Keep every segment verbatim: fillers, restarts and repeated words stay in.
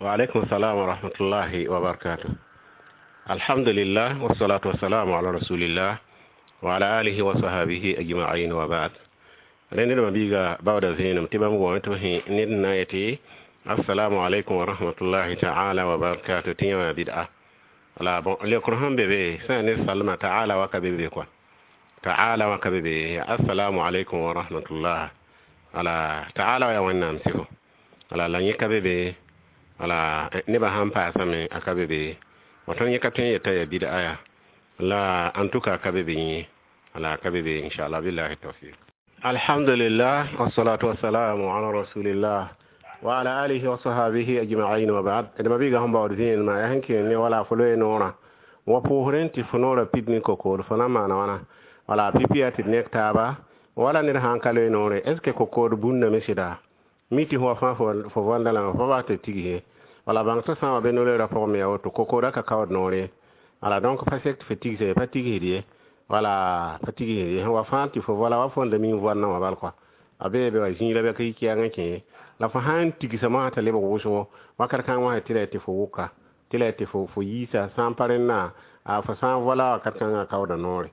Wa alaikum salam wa rahmatullahi wa barakatuh. Alhamdulillah, wassalatu wassalamu ala rasulillah wa ala alihi wa sahbihi ajma'in, wa ba'd. Rẽnd ned mabiiga baooda vẽenem tɩ bãmb goame tɩ b sẽ ned na n yetɩ assalamu alaikum wa rahmatullahi ta'ala wa barakatuh tɩ yã wã bid'a. Wala bon, leokr sẽn be be sã n ne salma ta'ala wa ka be be kɔa ta'ala wa ka be be assalamu alaikum wa rahmatullah. Wala ta'ala wa yaa Wẽnnaam sɩfo. Wala la yẽ ka be be, wala nebã sãn paasame a ka be be. Wa tõnd yẽ ka tõe n yeta yaa bid'a ya la, en tout cas ka be be yẽ, wala ka be be, inchallah, billahi tawfiq. Alhamdulillah, wassalatu wassalamu ala rasulillah wa ala alihi wa sahbihi ajma'in, wa ba'd. D mabiiga sẽn baood vẽenemã yaa sẽn kẽer ne wala fo loe noorã wa pʋʋsrẽ tɩ fo noorã pid ne kokoor fo na maana wãna. Wala pipi yaa tɩ d nek taaba wala ned sãn ka loe noore, est ce que kokood bũndame sɩda mi tɩ fo fãa fo voanda lame fo baa tɩ tigse wala bãng tɩ sã n wa be no-loeerã pʋgẽ me yaa woto kokoodã ka kaood noore. Wala donc pa sek tɩ fo tigse, pa tigsd ye, wala pa tigsd ye. Sẽn wa fãa tɩ fo voala wa fõn da mi n voandã wã bal kɔa a bee be wa zĩig la bɩ ka yi kɛɛng kẽ la fo sãn tigsa mosã t'a lebg wʋsgo wakat kãng wã tɩ la tɩ fo wʋka tɩ la tɩ fo fo yiisa sã n pa rẽnna a fo sã n voala wakat kãngã kaooda noore.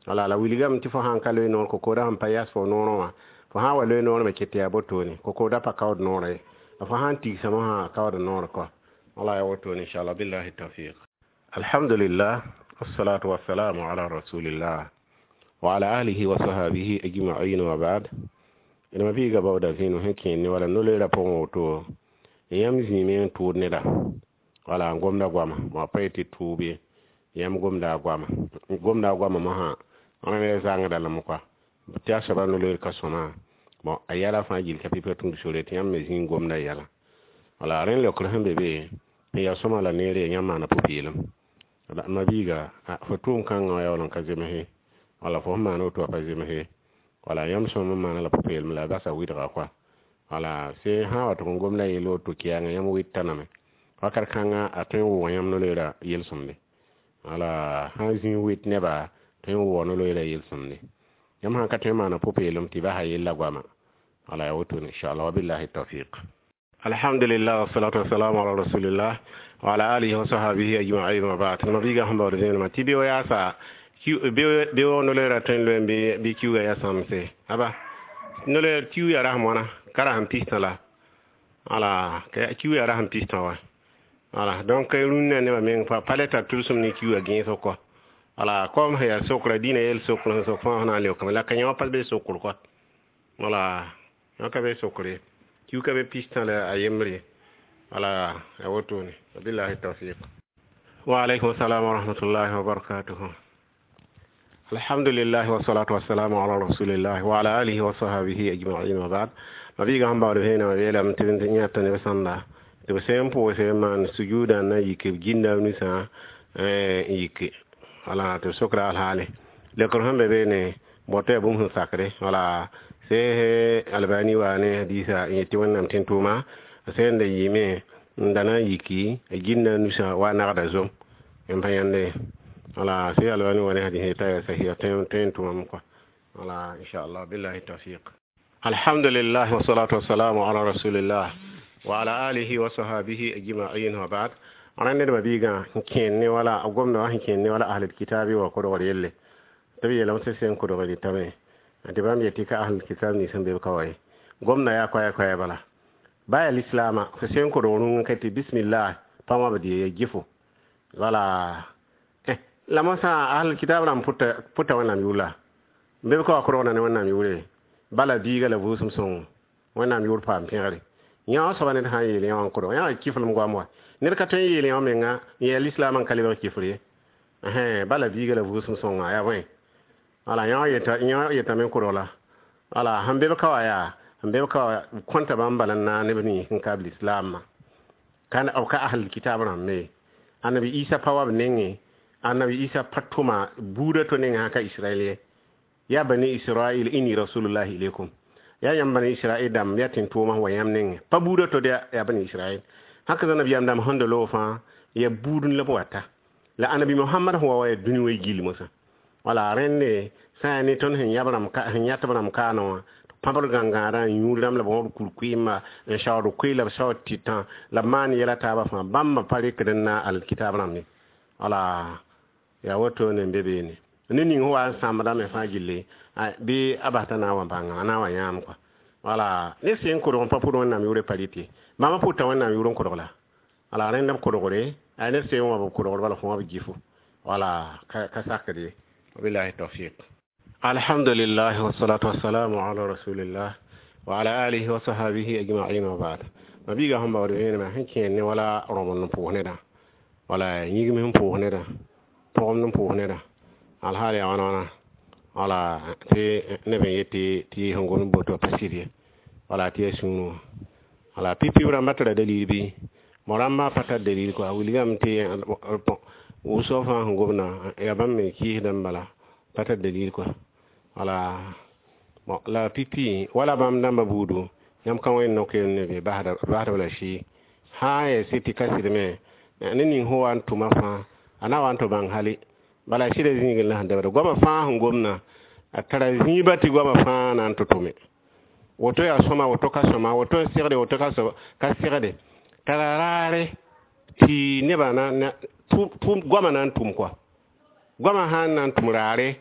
Wala la wilgame tɩ fo sãn ka loe noor kokoodã sẽn pa yas fo noorã wã, fo sã n wa loe noor me ket tɩ yaa botone kokoodã pa kaood noorã ye, la fo sãn tigsa mosã a kaooda noor kɔa. Wala yaa wotone, inchallah, billahi tawfiq. Alhamdulillah, wassalatu wassalamu ala rasulillah wa ala alihi wa sahbihi ajma'in, wa ba'd. D mabiiga baooda vẽenem sẽn kẽer ne wala no-loeerã pʋgẽ woto yãmb zĩime n tʋʋd neda wala n gomda goama bõ pa yetɩ tʋʋb ye. Yãmb gomda a goama, gomda a goama mosã rẽ zãngda lame kɔa tɩ a soaba no-loeer ka sõma bon a yɛla fãa gill ka pipa tũud sore tɩ yãmb me zĩig gomda yɛla. Wala rẽnd leokr sẽn be be n yaa sõma la neere yãmb maana pʋ-peelem. Mabiiga, fo tʋʋm kãngã wã yaa wall n ka zemse wala fo sẽn maan woto wã pa zemse. Wala yãmb sõm n maana la pʋ-peelem la a basa wɩdga kɔa. Wala sẽn sã wa tʋg n gomda yell woto kɛɛngã yãmb wɩta name wakat kãnga a tõe n wʋʋg yãmb no-loeerã yel-sõmde. Wala sã n zĩig wɩt neba tõe n wʋʋg no-loeerã yel-sõmde. Yãmb sãn ka tõe n maana pʋ-peelem tɩ basa yella goama. Wala yaa wotone, inchallah, wabillahi tawfiq. Alhamdulillah, wassalatu wassalamu ala rasulillah wa ala alihi wa sahbihi ajma'in, wa ba'd. Mabiiga sẽn baood vẽenemã tɩ beo yaasa beo no-loeerã tõe n loe n bɩ kiuugã yaa sãmse aba no-loeer kiu yaa rasem wãna ka rasem pistã la wala kiu yaa rasem pistã wa. Wala donc rũnnã nebã meng pa pa le tar tʋlsem ne kiuugã gẽesg kɔ. Wala kom sẽn yaa sokra dĩnã yel sokr sẽn sok fãa sẽn na n leokame la ka yã wã pa be sokr kɔa. Wala yã ka be sokr ye, kiu ka be pistã la a yembre. Wala ya wotone, wabillahi tawfiq. Wa alaikum salam wa rahmatullahi wa barakatuhu. Alhamdulillah, wassalatu wassalamu ala rasulillah wa ala alihi wa sahbihi ajma'in, wa ba'd. Mabiiga sẽn baood vẽenema yeelame tɩ b yãta neb sãnda tɩ b sẽn pʋʋse n maan sujuudã na yik b ginda b nusã n yike. Wala tɩ b sokra alhaale leokr sẽn be beene bõ tɩ yaa bũmb sẽn sakre. Wala see Albani wa ne hadisa n yetɩ Wẽnnaam tẽn tʋʋma sẽn da yɩɩme n da na n yiki a ginda nusã wa nagda zom n pa yãnde. Wala see Albani wa ne hadis yeta yaa sahiha tõe n tʋmame kɔa. Wala inchallah, billahi tawfiq. Alhamdulillah, wassalatu wassalamu ala rasulillah wa ala alihi wa sahbihi ajma'in, wa ba'd. Rãnd ned mabiigã n kẽer ne wala a gomda wã sẽn kẽer ne wala ahlul kitabi wa kodgr yelle tɩ b yeelame tɩ sẽn kodgr dɩtame tɩ bãmb yetɩ ka ahlul kitab nins sẽn be b ka wa ye gomda yaa koɛɛ koɛɛ bala ba yaa lislaamã fo sẽn kodg rũngã ka tɩ bismillah pa wãbd ye ya gɩfo. Wala eh la mosã ahlul kitab rãmb pʋta pʋta Wẽnnaam yʋʋr la n be b ka wa kodgda ne Wẽnnaam yʋʋre bala biiga la vʋʋsem sõngo Wẽnnaam yʋʋr paam pẽgre yã wã soaba ned sã n yeel yã wã n kodg yã wa kiflem goam wa ned ka tõe n yeel yã wã menga n yaa lislaamã n ka lebg kifr ye bala biiga la vʋʋsem sõnga yaa bõe. Wala yã yã yetame n kodg la wala sẽn be b ka wa yaa sẽn be b ka wa kõnta bãmb bala n naag neb nins sẽn ka b lislaamã ka b ka ahlul kitab rãmbe. Annabi Isa pa wa b nengẽ, Annabi Isa pa tʋma buudã to nengẽ sã ka Israɛl ye ya bani Israil inni rasulullahi ilaykum ya yãmb bani Israil dãmb ya tẽn tʋʋma wa yãmb nengẽ pa buudã to ya bani Israil hãk nabiyaam dãmb sẽn da loog fãa ya buud la b wata la Annabi Mohamad sẽn wa wa ya dũni wã gil mosã. Wala rẽnde sã n yaa ne tõnd sẽn yãb rãmb sẽn yãtb rãmb kaana wã Pãbd gãngãadã n yũud rãmb la b wõbd kur-kʋɩɩmba n saood koe la b saood tɩtã la b maan yɛla taabã fãa. Bãmba pa rekd n na alkitab rãmb ye. Wala yaa wotone n be beene ne ning sẽn wa n sãmbdame fãa gilli bɩ a bas t'a na n wa bãnga a na n wa yãam kɔa. Wala ned sẽn kodg n pa pʋd Wẽnnaam yʋʋrã pa rɩt ye. Bãmba pʋta Wẽnnaam yʋʋr n kodg la wala rẽnd b kodgre a ned sẽn wã b kodgr bala fo wã b gifo wala ka sakd ye. Wabillahi tawfiq. Alhamdulillah, wassalatu wassalamu ala rasulillah wa ala alihi wa sahbihi ajma'in, wa ba'd. Mabiiga sẽn baood vẽenemã sẽn kẽer ne wala rõbend n pʋʋs nedã wala yĩgim sẽn pʋʋs nedã pʋgemd n pʋʋs nedã alhaal yaa wãna wãna wala tɩ neb n yet tɩ sẽn gomd boto pa sɩd ye wala tɩ yaa sũurẽ wã wala pipi rãmba tara dalil bɩ mo rãmbã pa tar dalil kɔa wilgame tɩ wʋsg fãa sẽn gomdã yaa bãmb me kɩɩsdame bala pa tar dalil kɔa wala bon la pipi wala bãmb dãmbã buudu yãmb ka wẽnd no-keem ne be basdb la sɩ sã n yaa sɩd tɩ ka sɩdme ne ning sẽn wa n tʋma fãa a na wa n tɩ bãng hali bala sɩda zĩigẽ la sẽn dabda goamã fãa sẽn gomdã a tara zĩiba tɩ goamã fãa na n tɩ tʋme woto yaa sõma woto ka sõma woto n segde woto ka segde tara raare tɩ nebã na goamã na n tʋm kɔa goamã sã n na n tʋm raare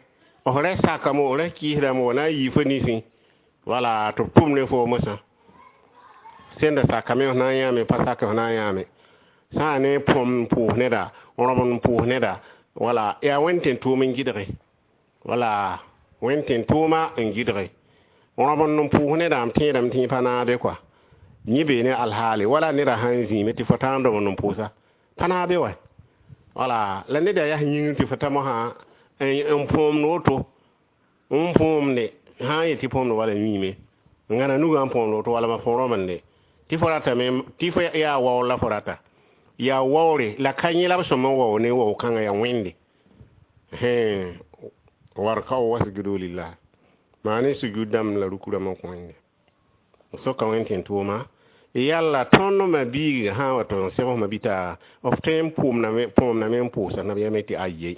f ra sakame f ra kɩɩsdame wa na n yii fo ninsẽ wala tɩ b tʋm ne fo mosã sẽn da sakame f na n yãame pa sak f na n yãame sã n ne põm n pʋʋs neda rõbend n pʋʋs neda wala yaa wẽnd tẽn tʋʋm n gɩdge wala wẽnd tẽn tʋʋma n gɩdge rõbend n pʋʋs nedã m tẽedame tɩ yẽ pa naade kɔa yẽ bee ne alhaale wala neda sã n zĩime tɩ fo tã n rõbend n pʋʋsa pa naabe wa wala la neda yaa yĩngr tɩ fo ta mosã n põomd woto n põomde sã n yet tɩ põomd wala yĩime n gãna nugã n põomd woto wala ma fo rõbende tɩ fo ratame tɩ fo yaa waoor la fo rata yaa waoore la ka yẽ la b sõm n wao ne wao kãngã yaa wẽnde warkao wasjudu lillah maa ne sujud dãmb la ruku rãmb n kõ wẽnde soka wẽnd tẽn tʋʋma yalla tõnd ma biig sã n wa tɩ n seg ma bɩ f tõe n põomdame n pʋʋsa nabiyaamã tɩ aye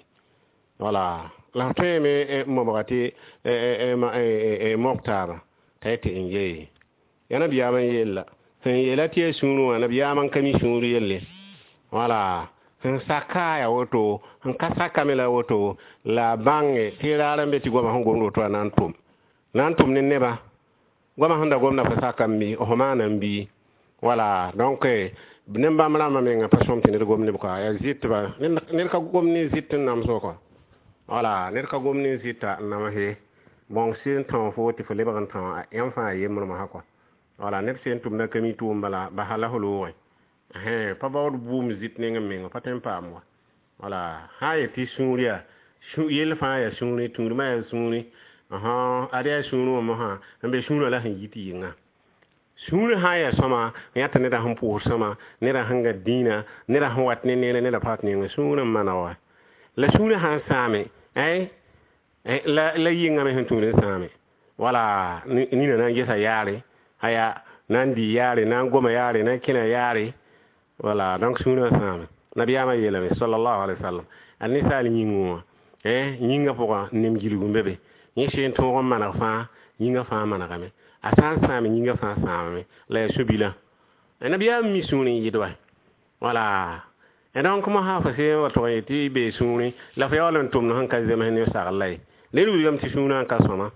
wala la f tõeme n mobga tɩ mog taaba t'a yetɩ n yee ya nabiyaamã n yella sẽn yeela tɩ yaa sũurẽ wã nabiyaamã n ka mi sũur yelle wala sẽn saka yaa woto sẽn ka sakame la woto la bãnge tɩ raar n be tɩ goamã sẽn gomd woto a na n tʋm na n tʋm ne nebã goamã sẽn da gomda fa sakame bɩ f maana n bii wala donc nem bãmb rãmbã menga pa sõm tɩ ned gom neb kɔa yaa zɩtba ned ka gom ne zɩt n namsg kɔa wala ned ka gom ne zɩta n namse bõng sẽn tão fo tɩ fo lebg n tão yãmb fãa yembrmã sã kɔa wala ned sẽn tʋmda ka mi tʋʋm bala basa la f loogẽ pa baood bʋʋm zɩt neng n meng pa tõe n paam wa wala sã n yet tɩ sũur yaa yell fãa yaa sũurẽ tũudmã yaa sũurẽ ad yaa sũurẽ wã mosã n be sũurã la sẽn yit yɩnga sũurẽ sã n yaa sõma yã tɩ neda sẽn pʋʋs sõma neda sẽn gã dĩinã neda sẽn wat ne neere neda pa wat nengẽ sũurẽ n mana wa la sũurẽ sã n sãame la la yɩngame sẽn tũud n sãame wala nina na n gesa yaare aya na n dɩ yaare na n goma yaare na n kẽna yaare wala donc sũurã sãame nabiyaamã yeelame sallallahu alaihi wasallam a ninsaal yĩngẽ wã yĩngã pʋgã nem gilg n be be yẽ sẽn tõog n maneg fãa yĩngã fãa manegame a sã n sãame yĩngã fãa sãamame la yaa sũ-bilã nabiyaam mi sũurẽ n yɩd wa wala donc mosã fo sẽn wa tʋg n yet tɩ bee sũurẽ la fo yaool n tʋmd sẽn ka zems ne sagl la ye ned wilgame tɩ sũurã n ka sõma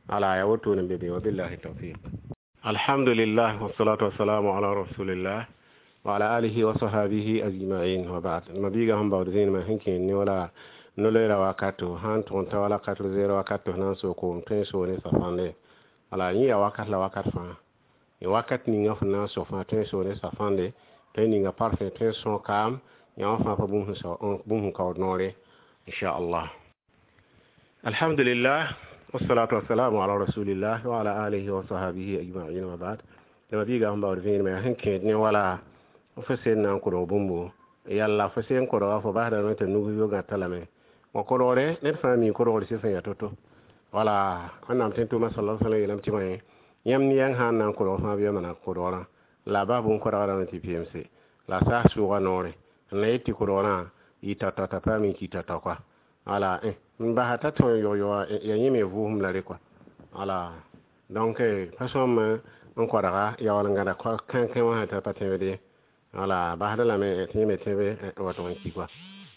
wala yaa wotone n be be wabillahi tawfiq. Alhamdulillah, wassalatu wassalamu ala rasulillah wa ala alihi wa sahbihi ajma'in, wa ba'd. Mabiiga sẽn baood zẽnemã sẽn kẽer ne wala no-loeera wakato sã n tʋg n ta wala quatre heures wakato na n soog koom tõe n soog ne safãnde wala yẽ yaa wakat la wakat fãa wakat ninga fo na n so fãa tõe n soog ne safãnde tõe n ninga parfum tõe n sõo kaam yã wã fãa pa bũmb sẽn kaood noore inchallah. Alhamdulillah, wassalatu wassalamu ala rasulillah wa ala alihi wa sahbihi ajma'in, wa ba'd. La mabiiga sẽn baood vẽenemã yaa sẽn kẽed ne wala fo sẽn na n kodg bũmbo yalla fo sẽn kodga fo basdame tɩ nug yo gãta lame wa kodgre ned fãa mi kodgr sɩf n yaa to-to wala Wẽnnaam tẽn tʋʋma sala sallam yeelame tɩ bõe yãmb ne yãng sã n na n kodg fãa bɩ ya maneg kodgrã la a bas bũn-kodgrame tɩ P M C la a saas sʋʋga noore n la yet tɩ kodgrã yɩ tao-tao t'a paam n ki tao-tao kɔa wala n basa t'a tõe n yog-yoga ya yẽ me vʋʋsem la re kɔa wala Donc pa sõm n koadga yaool n gãda kãnkẽ wã t'a pa tẽbd ye. Wala basda lame tɩ yẽ me tẽbe n wat n ki kɔa.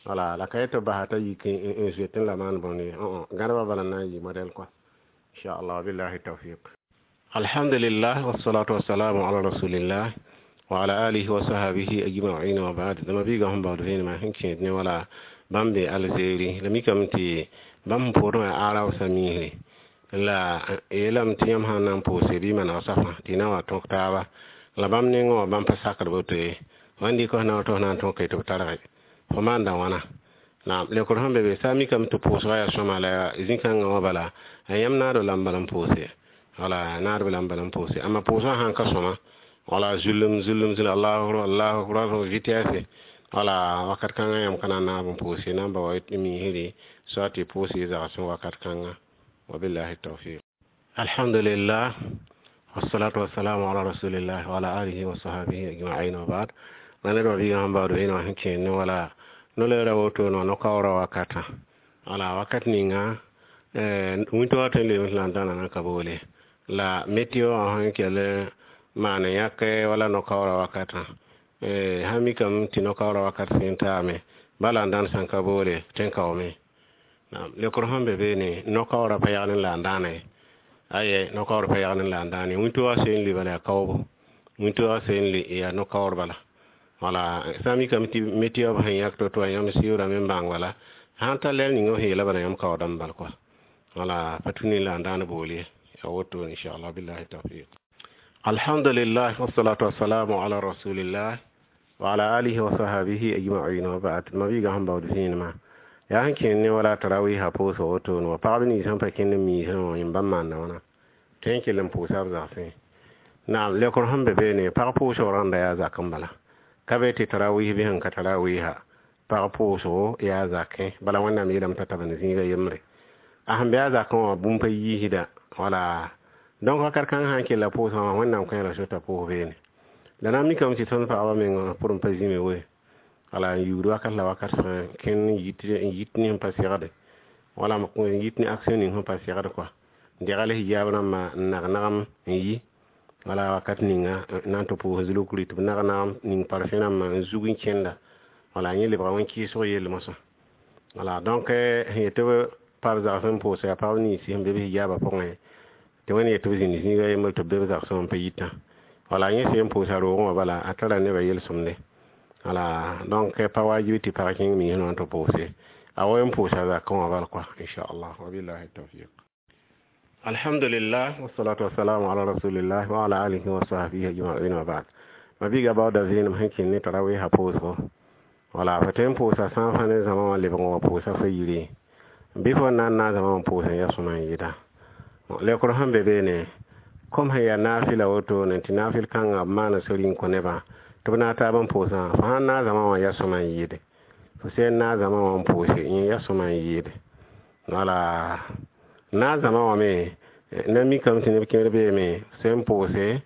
Wala la ka yet tɩ b basa t'a yik n zoetẽ la maan bõnd ye. Gãdbã bala n na n yɩ modɛl kɔa, inchallah. Billahi tawfiq. Alhamdulillah, wassalatu wassalamu ala rasulillah wa ala alihi wa sahbihi ajma'in wa ba'd. Dama biiga sẽn baood vẽenemã sẽn kẽed ne wala bãmb be Algérie la mikame tɩ bãmb sẽn pʋʋsd wã arab sã miisre la yeelame tɩ yãmb sã n na n pʋʋse bɩ maneg safã tɩ y na wa tõk taaba la bãmb nengẽ wã bãmb pa sakd boto ye. Wãn dɩk f na tɩ f na n tõke tɩ b targe fo maanda wãna. Naam, leokr sẽn be be sã n mikame tɩ pʋʋsgã yaa sõma la zĩ-kãngã wã bala yãmb naado la n bala n pʋʋse, wala naadb la n bala n pʋʋse. Amma pʋʋsgã sãn ka sõma, wala zulum zulum zulum, allahu akbar, allahu akbar, vitesse, wala wakat kãngã yãmb ka na n naab n pʋʋse na n ba wa miisre soa tɩ pʋʋs y zagsẽ wakat kãnga. Wabillahi tawfiq. Alhamdulillah, wassalatu wassalamu ala rasulillah wa ala alihi wa sahbihi ajma'in wa ba'd. La ned wã biigã sẽn baood vẽeneg wã sẽn kẽed ne wala no-leera woto no no-kaoorã wakatã, wala wakat ninga wĩnto wa tõe n leem la n dãna na ka boole la météo wã sẽn kell maan n yãk wala no-kaoorã wakatã. Sã mikame tɩ no-kaoorã wakat sẽn taame bala n dãn sãn ka boole tẽn-kaoome. Leokr sẽn be beene, no-kaoorã pa yagl n la n dãana ye. Aye, no-kaoor pa yagl n la n dãan ye. Wĩntoogã seen lʋɩ bala yaa kaoobo, wĩntoogã seen lʋɩ yaa no-kaoor bala. Wala sã n mikame tɩ météo b sẽn yãk to-to wã yãmb sɩʋʋdame n bãng bala sãn ta lɛl ning f yeela bala yãmb kaoodame bal kɔa. Wala pa tũ ne la n dãan bool ye, yaa woto, inchallah. Billahi tawfiq. Alhamdulillah, wassalatu wassalamu ala rasulillah wa ala alihi wa sahbihi ajma'in wa ba'd. Ma biiga sẽn baood vẽenemã yaa sẽn kẽnd ne wala tarawiisã pʋʋsg wotone wa pagb nins sẽn pa kẽnd n miisẽ wã yẽmb bãmb maanda wãna tõe n kell n pʋʋsa b zagsẽ. Naam, leokr sẽn be beene, pag pʋʋsg rãnda yaa zak n bala ka be tɩ tarawiis bɩ sẽn ka tarawiisa pag pʋʋsgo yaa zakẽ bala. Wẽnnaam yeelame t'a tab n zĩiga yembre a sẽn be a zakẽ wã bũmb pa yiisda. Wala donc wakat kãng sã n kella pʋʋsgã wã, Wẽnnaam kõ la sota pʋʋs beene la na n mikame tɩ tõnd pagba meng pʋr n pa zĩme we. Wala n yuud wakat la wakat fãa kẽnd n yit ne sẽn pa segde wala n yit ne action ning sẽn pa segd kɔa degl hijaab rãmbã n nag nagam n yi. Wala wakat ninga na n tɩ pʋʋs zulukri tɩ b nag nagam ning parfẽ rãmbã n zug n kẽnda. Wala yẽ lebga wẽn-kɩɩsg yell mosã. Wala donc sẽn yet tɩ b pa b zagsẽ n pʋʋsa yaa pagb ninsi sẽn be b hijaabã pʋgẽ tɩ wẽnd yet tɩ b zĩnd zĩiga yembr tɩ b be b zagsẽ wã n pa yitã. Wala yẽ sẽn pʋʋsa roogẽ wã bala a tara nebã yel-sõmde. Wala donc pa wajibi tɩ pag kẽng miisẽ wã tɩ pʋʋse a wa n pʋʋsa zakẽ wã bal kɔa, inchallah. Wabillahi tawfiq. Alhamdulillah, wassalatu wassalamu ala rasulillah wa ala alihi wa sahbihi ajma'in wa ba'd. Ma biiga baooda vẽenem sẽn kẽnd ne tarawiisã pʋʋsgo. Wala fo tõe n pʋʋsa sã n fã ne zãma wã lebg n wa pʋʋsa fa yire bɩ fo n na n naag zãma wã pʋʋs n ya sõma n yɩda. Leokr sẽn be beene, kom sẽn yaa naafɩla wotone tɩ naafɩl kãngã b maana sori n kõ nebã tɩ b naag taab n pʋʋsã, fo sãn naag zãma wã ya sõma n yɩɩde, fo sẽn naag zãma wã n pʋʋse yẽ ya sõma n yɩɩde. Wala naag zãma wã me na mikame tɩ neb kẽer beeme sẽn pʋʋse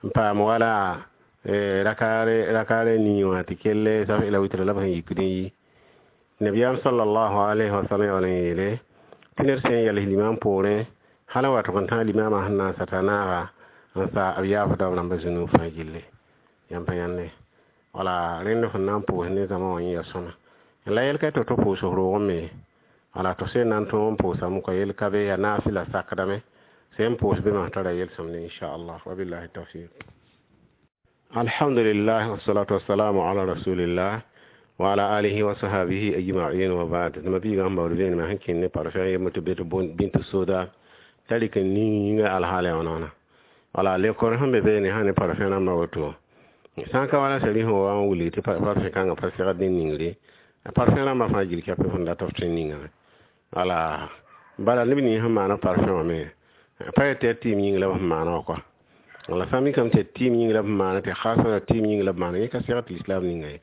n paam wala rakaare rakaare nii wã tɩ kell saf la witra la b sẽn yikd n yi. Nabiyaam sallallahu alayhi wa sallam yaool n yeele tɩ ned sẽn yals limam poorẽ hal n wa tʋg n tãag limaamã sẽn na n sata naaga n sa b yaafda b rãmba zũnug fãa gilli yãmb pa yãnde. Wala rẽnd fõn na n pʋʋs ne zãma wã yẽ ya sõma la yɛl ka tɩ to pʋʋs roogẽ me. Wala tɩ sẽn na n tõog n pʋʋsame kɔa yel ka be yaa naafɩla sakdame sẽn pʋʋs be masã tara yel-sõmde, inchallah. Wabillahi tawfiq. Alhamdulillah, wassalatu wassalamu ala rasulillah wa ala alihi wa sahbihi ajma'in wa ba'd. Ma biiga sẽn baood vẽenemã sẽn kẽnd ne parfum yembr tɩ be tɩ bintu soda t'a rɩk n ninga alhaala wãna wãna. Wala lekor sẽn be beene sã ne parfum rãmbã woto sã n ka wala sari sẽn wa n wilg tɩ parfum kãngã pa segd ne ningre parfum rãmbã fãa gil kɛpɛ fõn dat f tõe n ningame. Wala bala neb nins sẽn maana parfum wã me pa yet tɩ yaa tɩɩm yĩng la b sẽn maana wã kɔa. Wala sã n mikame tɩ tɩɩm yĩng la b sẽn maana tɩ khasa la tɩɩm yĩng la b maana yẽ ka segd tɩ lislaam ninga ye.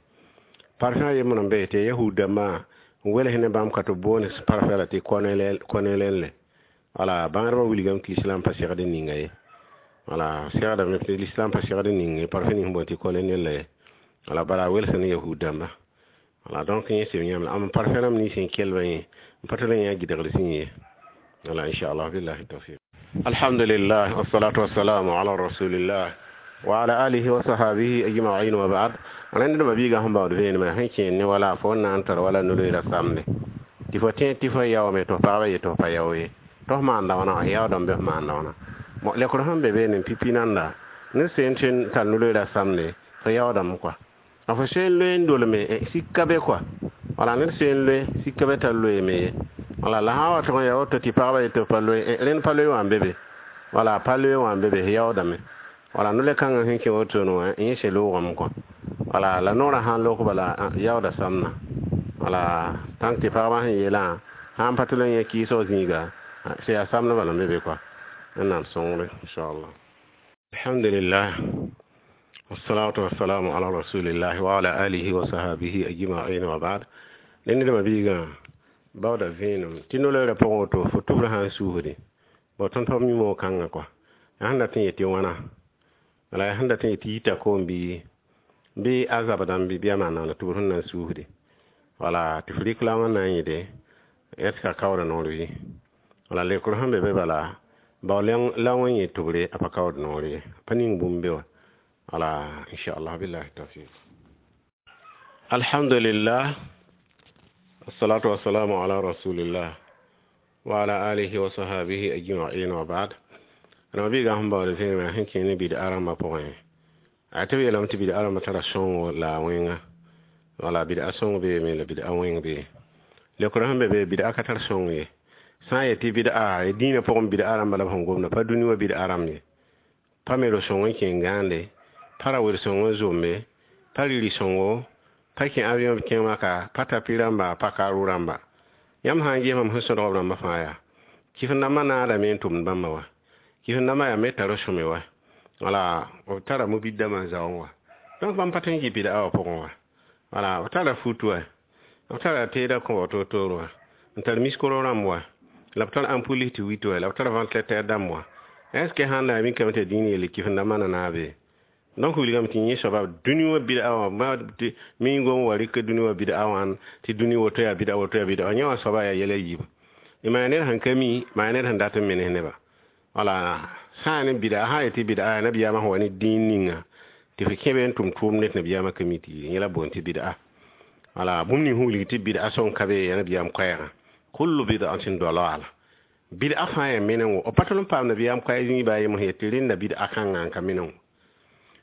Parfum a yembr n be tɩ yahud dãmbã n wels ne bãmb ka tɩ b boond parfum la tɩ kɔnɛlɛnle. Wala bãngdbã wilgame tɩ lislaam pa segd n ninga ye. Wala segdame tɩ lislaam pa segd n ning parfum ning sẽn boond tɩ kɔnɛnɛl ye. Wala bala a welsa ne yahud dãmba. Wala donc yẽ sem yãmb la am parfum rãmb nins sẽn kelbã yẽ n pa tara yã gɩdgr sẽn ye. Wala inchallah. Billahi tawfiq. Alhamdulillah, wassalatu wassalamu ala rasulillah wa ala alihi wa sahbihi ajma'in wa ba'd. Rẽnd dãmba biigã sẽn baood vẽenemã sẽn kẽer ne wala fo n na n tar wala no-loeera samde tɩ fo tẽ tɩ fo yaoome tɩ f pagba yet tɩ f pa yao ye tɩ f maanda wãna yaoodame bɩ f maanda wãna lekr sẽn be beene pipi nanda ned seen tɩ n tar no-loeera samde fo yaoodame kɔa a fo seen loe n dolme sika be kɔa wala ned seen loe sika be t'a loeeme ye wala la sã n wa tʋg n ya woto tɩ pagba yet tɩ f pa loe rẽnd pa loe wã n be be wala pa loe wã n be be yaoodame wala no-le-kãngã sẽn kẽ wotone wã yẽ se loogame kɔa wala la noorã sãn lok bala yaooda samna wala tãnk tɩ pagba sẽn yeelã sã n pa tʋl n yẽ kɩɩsg zĩiga sẽn yaa samdbã la n be be kɔa Wẽnnaam sõngre inchallah. Alhamdulillah, wassalatu wassalamu ala rasulillah wa ala alihi wa sahbihi ajma'in wa ba'd. Ned dãmba biigã baooda vẽenem tɩ no-loeerã pʋgẽ woto fo tʋbrã sã n suusde bao tõnd pa mi moog-kãngã kɔa yaa sẽn dat n yet tɩ wãna wala yaa sẽn dat n yet tɩ yita koom bɩ bɩ a zabdãmb bɩ a maan tʋbr sẽn na n suusde wala tɩ f rɩk la wãn na n yẽde est ce que a kaooda noor bɩ wala lekr sẽn be be bala bao la wã yẽ tʋbre a pa kaood noor ye pa ning bũmb be wã wala inchallah billahi tawfiq. Alhamdulillah, wassalatu wassalamu ala rasulillah wa ala alihi wa sahbihi ajma'in wa ba'd. Rãmba biigã sẽn baood vẽenemã sẽn kẽ ne bɩd-a rãmbã pʋgẽ a tɩ b yeelame tɩ bɩd-a rãmbã tara sõngo la a wẽnga wala bɩd-a sõng beeme la bɩd-a wẽng bee lekr sẽn be be bɩd-a ka tar sõng ye sã n yet tɩ bɩd-a dĩinã pʋgẽ bɩd-a rãmba la b sẽn gomda pa dũni wã bɩd-a rãmb ye pa me ro-sõng n kẽ n gãande pa ra wer-sõng n zombe pa riri-sõngo pa kẽ avion b kẽng maka pa tapi rãmba pa karu rãmba yãmb sã n ges mam sẽn sõdg b rãmbã fãa yaa kɩf-n-dãmbã naadame n tʋmd bãmba wa kɩf-n-dãmbã yaa me tar sõme wa wala b tara mobid-dãmbã n zaoong wa donc bãmb pa tõe n kɩ bɩd-a wã pʋgẽ wa wala b tara fut wa b tara teedã kõ to-toor wa n tar miskoro rãmb wa la b tar ampoule tɩ wit wa la b tar ventilateur dãmb wa est ce que sãn na mikame tɩ dĩin yelle kɩf-n-dãmbã na naabe donc wilgame tɩ yẽ soaba dũni wã bɩd-a wã mi gom wa rɩk dũni wã bɩd-a wã tɩ dũni woto yaa bɩd-a woto yaa bɩd-a yẽ wã soaba yaa yɛla yiib maa ned sẽn ka mi maa ned sẽn dat n menes neba wala sã n ne bɩd-a sã n yetɩ bɩd-a yaa nabiyaamã sẽn wa ne dĩin ninga tɩ f kẽ be n tʋm tʋʋmd ne tɩ nabiyaamã ka mi tɩ yẽ la boond tɩ bɩd-a wala bũmb ning sẽn wilg tɩ bɩd-a sõng ka be yaa nabiyaam koɛɛgã kullu bid'atin dalala bid'a fãa yaa menengo b pa tʋl n paam nabiyaam koɛɛg zĩig baa yem sẽn yet tɩ rẽnda bid'a kãngã n ka menengo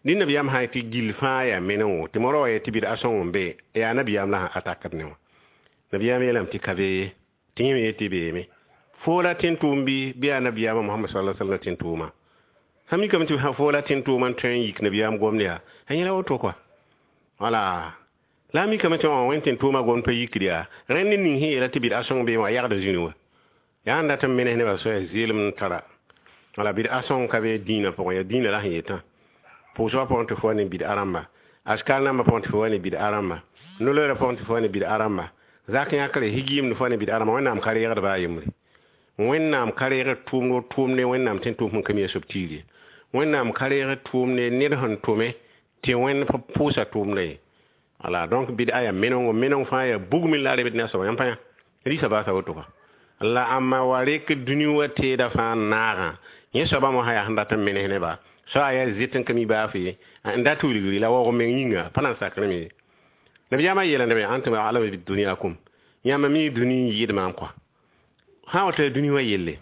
dĩ nabiyaam sã n tɩ gill fãa yaa menengo tɩ moarã wa yet tɩ bid'a sõng n be yaa nabiyaam la sẽn atakd ne wã nabiyaam yeelame tɩ ka be ye tɩ yẽ me yet tɩ beeme foola tẽn-tʋʋm bɩ bɩ yaa nabiyaamã Mohamad sallallahu alaihi wasallam tẽn-tʋʋma sã mikame tɩ foola tẽn-tʋʋma n tõe n yik nabiyaam gomd yaa a yẽla woto kɔa wala la a mikame tɩ wã wẽn tẽn-tʋʋma gomd pa yikd yaa rẽnd ned ning sẽn yeela tɩ bɩd-a sõng beeme wã yagda zĩni wã yaa n dat n menes nebã soaya zeelem n tara wala bɩd-a sõng ka be dĩinã pʋgẽ yaa dĩinã la sẽn yetã pʋʋsgã pʋgẽ tɩ fo wa ne bɩd-a rãmba askar nambã pʋgẽ tɩ fo wa ne bɩd-a rãmba no-loeerã pʋgẽ tɩ fo wa ne bɩd-a rãmba zak yãkre higiimd fo wa ne bɩd-a rãmba Wẽnnaam ka reegd baa yembre Wẽnnaam ka reegd tʋʋmd o tʋʋmde Wẽnnaam tẽn-tʋʋm sẽn ka mi a soab tiir ye Wẽnnaam ka reegd tʋʋmde ned sẽn tʋme tɩ Wẽnd pa pʋʋsa tʋʋmdã ye wala donc bɩd-a yaa menengo meneng fãa yaa bugmẽ la a rebd ne a soaba yãmb pa yã rɩsa baasa woto kɔa la ãmba wa rek dũni wã teedã fãa n naagã yẽ soabã mosã yaa sẽn dat n menes nebã so a yaa zet n ka mi baaf ye n dat wilgri la waoog meng yĩnga pa na n sakrame ye nabiyaamã yeela neb antum a'lamu biduniyakum yãmba mi dũni n yɩɩd maam kɔa sã n wata dũni wã yelle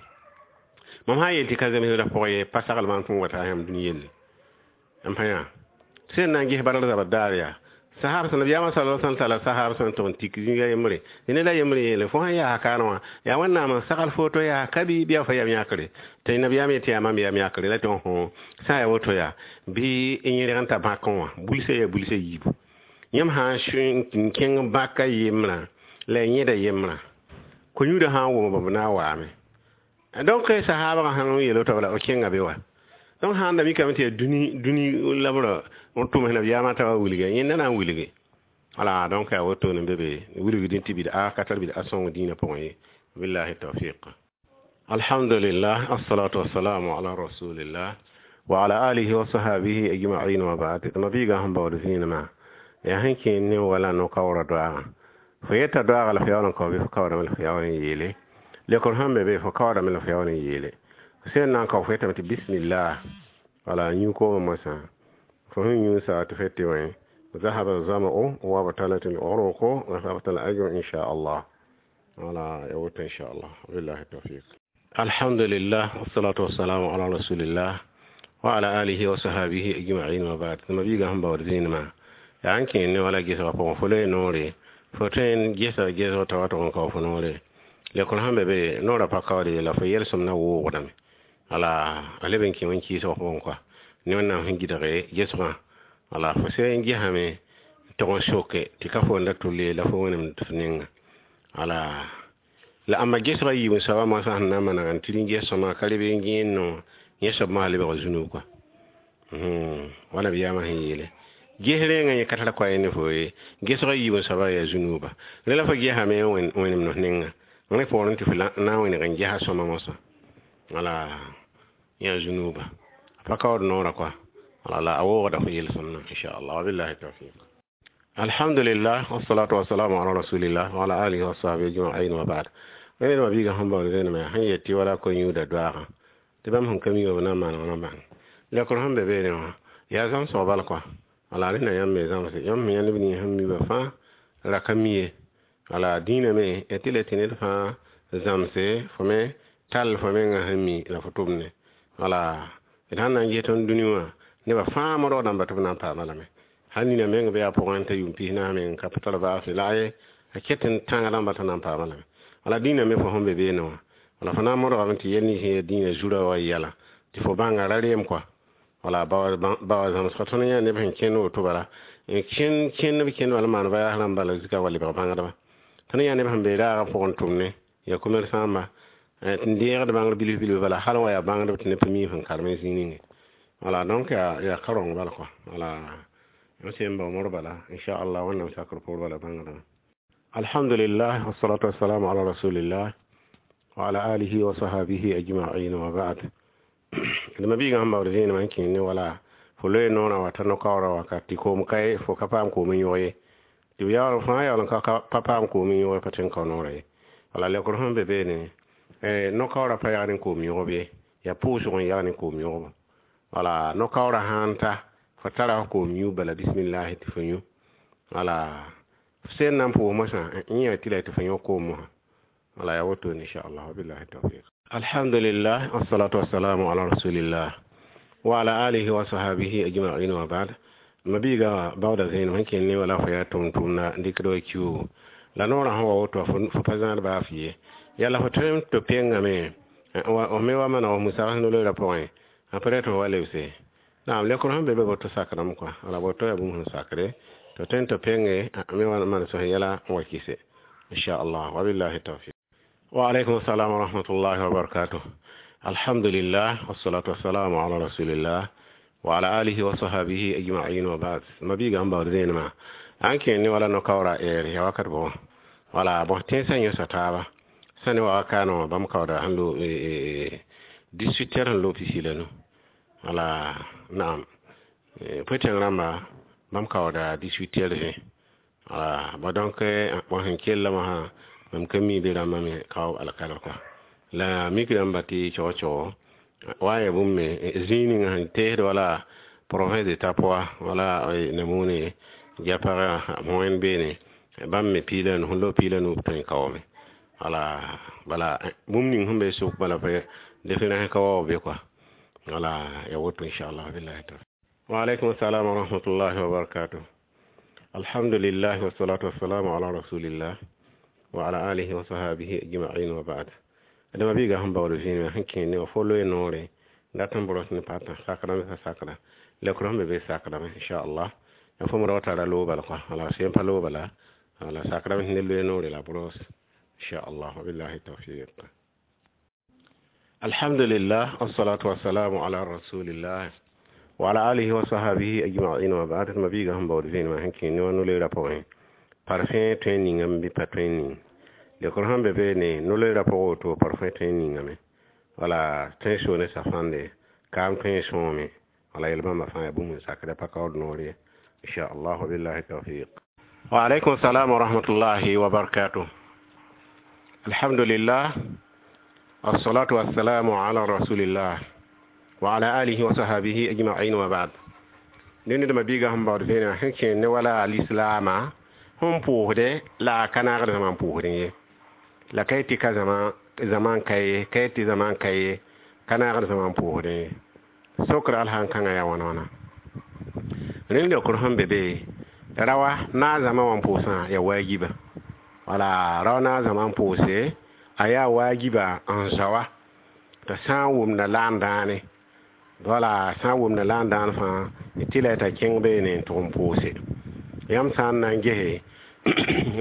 mam sã n yeel tɩ ka zemsdã pʋgẽ ye pa sagl maam tɩ n wata yãmb dũni yelle n pa yã sẽn na n ges badr zabr daar yaa sahab sẽn nabiyaamã sallallahu alaihi wasallam tala sahab sẽn tʋg n tik zĩiga yembre dẽne la yembre yeele fo sẽn yaa kaanẽ wã yaa Wẽnnaam n sagl foto yaa ka bɩ bɩ a fa yam yãkre tɩ nabiyaam yetɩ yaa mam yam yãkre la tɩ hõ sã n yaa woto yaa bɩ n yẽrg n ta bãkẽ wã bulsã yaa bulsã yiibu yãmb sã n kẽng bãka yembrã la y yẽda yembrã ko-yũudã sã n wʋm b na n waame donc sahaabgã sãn n yeel woto bala b kẽnga be wa donc sã n da mikame tɩ yaa dũni dũni labrã n tʋms nabiyaamã t'a wa wilge yẽnda na n wilge wala donc yaa wotone n be be wilgdẽ tɩ bɩd-a ka tar bɩd-a sõng dĩinã pʋgẽ ye billahi tawfiq. Alhamdulillah, assalatu wassalamu ala rasulillah wa ala alihi wa sahbihi ajma'in wa ba'd. Ma biigã sẽn baood vẽenemã yaa sẽn kẽ ne wala no-kaoorã doaagã fo yeta doaaga la fo yaool n kao bɩ fo kaoodame la fo yaool n yeele lekr sẽn be be fo kaoodame la fo yaool n yeele Sẽn na n kao fo yetame tɩ bismillah, wala yũ koomã moasã fo sẽn yũ sa tɩ fo tɩ wẽ ذهب الظمأ وابتلت العروق وثبت الأجر إن شاء الله. ولا يوت إن شاء الله، بالله التوفيق. الحمد لله والصلاة والسلام على رسول الله وعلى آله وصحبه أجمعين وبعد. ثم بيغا هم باور ما يعني كين ولا جيسا فون فلي نوري فتين جيسا جيسا تواتو كو فنوري lekol sẽn be be noorã pa kaoode la fo yelsem na woogdame wala a leb n kẽ wẽn kɩɩsg pʋgẽ kɔa ne Wẽnnaam sẽn gɩdge gesgã wala fo sẽn gesame tog n soke tɩ ka fo n da tʋl la fo wẽnemd f ninga wala la ãmba gesgã yiib n soaba moasã sẽn na n maneg n tɩ rĩn ges sõma ka reb n gẽen no yẽ soab mosã lebg zunub kɔa wala b yaamã sẽn yeele ges rẽengã yẽ ka tar koa ne fo ye gesgã yiib n soaba yaa zunuba rẽ la fo gesame wẽnemd f ninga rẽ poorẽ tɩ fo na n wẽneg n gesa sõma mosã wala yã zunuba pa kaood noorã kɔa wala la a woogda fo yel-sõmnã inchallah, wabillahi tawfiq. Alhamdulillah wassalatu wassalamu ala rasulillah wa ala alihi wa sahbihi ajma'in wa ba'd. Wẽnedmã biigã sẽn baood zẽnemã sẽn yet tɩ wala ko-yũuda doaagã tɩ bãmb sẽn ka mi wã b na n maaneg na bãng lekr sẽn be beene wã yaa zãmsg bal kɔa wala rẽnda yãmb me zãmse yãmb sẽn yã neb nins sẽn mi ba fãa ra ka mi ye wala dĩinã me ya tɩ la tɩ ned fãa zãmse fo me tall fo mengã sẽn mi la fo tʋmne wala d sãn na n ges tõnd dũni wã nebã fãa modg dãmba tɩ b na n paama lame hal nina meng be yaa pʋgẽ t'a yʋʋm pis naas meng ka tar baasẽ la a ye a ket n tãnga rãmba t'a na n paama lame wala dĩinã me fo sẽn be beene wã wala fo na n modgame tɩ yɛl nins sẽn yaa dĩinã zurã wa yɛla tɩ fo bãnga ra reem kɔa wala bawa zãmsga tõnd yã neb sẽn kẽnd woto bala n kẽnd kẽnd b kẽnd wala maan bayaas rãmba la zika wa lebg bãngdba tõnd yã neb sẽn be raagã pʋgẽ tʋmne ya commerçant n deegd bãngr bilf bilf bala hal wa yaa bãngdb tɩ neb pa mi sẽn karem zĩig ninge wala donc yaa yaa ka rõng bala kɔa wala sẽn bao mor bala inchallah Wẽnnaam sakr poor bala bãngdã. Alhamdulillah wassalatu wassalamu ala rasulillah wa ala alihi wa sahabihi ajma'in wa ba'd. D ma-biigã sẽn baood zẽenemã n kẽng ne wala fo loe noorã wa t'a no-kaoorã wakat tɩ koom ka fo ka paam koom n yõg ye tɩ b yaool fãa yaool n ka pa paam koom n yõg pa tõe n kao noorã ye wala lekr sẽn be beene no-kaoorã pa yag ne koom yõgb ye yaa pʋʋsg n yag ne koom yõgbo wala no-kaoorã sãn ta fo tara fo koom yũ bala bismillahi tɩ fo yũ wala sẽn na n pʋʋs mosã yẽ yaa tɩ la tɩ fo yõ koom mosã wala yaa wotone inchallah, wabillahi tawfiq. Alhamdulillah wassalatu wassalamu ala rasulillah wa ala alihi wa sahabihi ajma'in wa ba'd. Ma biiga baooda zẽenem sẽn kẽnd ne wala fo yaa tʋm-tʋmda n dɩkd wa kiuugo la noorã sẽn wa woto fo pa zãad baaf ye yala fo tõe tɩ pengame f me wa maneg f musag no-loeerã pʋgẽ apre tɩ fo wa lebse naam lekr sẽn be be boto sakrame kɔa wala boto yaa bũmb sẽn sakre tɩ tõe tɩ penge me wa maan sõs yɛla n wa kɩse inchallah, wabillahi tawfiq. Wa alaikum assalam wa rahmatullahi wa barakatuh. Alhamdulillah wassalatu wassalamu ala rasulillah wa ala alihi wa sahabihi ajma'in wa ba'd. Ma biiga sẽn baood zẽenemã an kẽnd ne wala no-kaoora ɛɛr ya wakat bõ wala bõ tẽnsã yõsa taaba sã ne wa wakaanã wã bãmb kaooda sẽn lo dix-huit heures sẽn lo pisi la nu wala naam pʋtẽng rãmba bãmb kaooda dix-huit heures vẽ wala ba donc bõ sẽn kella mosã mam ka mi be rãmbã me kao alkalf kɔa la mik rãmba tɩ cog-cogo wa n yaa bũmb me zĩig ninga sẽn teesd wala province de Tapoa wala Namune Diapaga wẽnd beene bãmb me piila nu sẽn loog piila nu b tõe n kaoome wala bala bũmb ning sẽn be sʋk bala différence ka waoog be kɔa wala ya woto inchallah, billahi tawfiq. Wa alaikum assalam wa rahmatullahi wa barakatuh. Alhamdulillah wassalatu wassalamu ala rasulillah wa ala alihi wa sahabihi ajma'in wa ba'd. Adama biiga sẽn baood zĩig sẽn kẽnd ne wa fo loe noore dat n bros ne pata sakrame sa sakra lekr sẽn be be sakrame inchallah ya fo mo tara loog bala kɔa wala sẽn pa loog bala wala sakrame ne loe noore la bros inchallah, wabillahi tawfiq. Alhamdulillah wassalatu wassalamu ala rasulillah wa ala alihi wa sahabihi ajma'in wa ba'd. Ma biiga sẽn baood zĩig sẽn kẽnd ne wa no-loeerã pʋgẽ parfum tõe n ningame bɩ pa tõe n ning lekr sẽn be beene no-loeerã pʋgẽ woto parfum tõe n ningame wala tõe n soo ne safãnde kaam tõe n sõome wala yel bãmba fãa yaa bũmb n sakda pa kaood noor ye inchallah, wabillahi tawfiq. Wa alaikum salam wa rahmatullahi wa barakatuh. Alhamdulillah. الصلاة والسلام على رسول الله وعلى آله وصحبه أجمعين وبعد. Ned ma biiga sẽn baood vẽenegã sẽn kẽer ne wala lislaamã sẽn pʋʋsde la a ka naagd zãma n pʋʋsdẽ ye la ka tɩ ka zãma n ka ye ka tɩ zãma n ka ye ka naagd zãma n pʋʋsdẽ ye sokr al sãn kãngã yaa wãna wãna rẽnd leokr sẽn be be rawa naag zãma wã n pʋʋsã yaa waajiba wala rao naag zãma n pʋʋse a yaa waajiba n zaoa t'a sã n wʋmda la n dãane wala sã n wʋmda la n dãan fãa tɩ la t'a kẽng beene n tʋg n pʋʋse yãmb sã n na n gese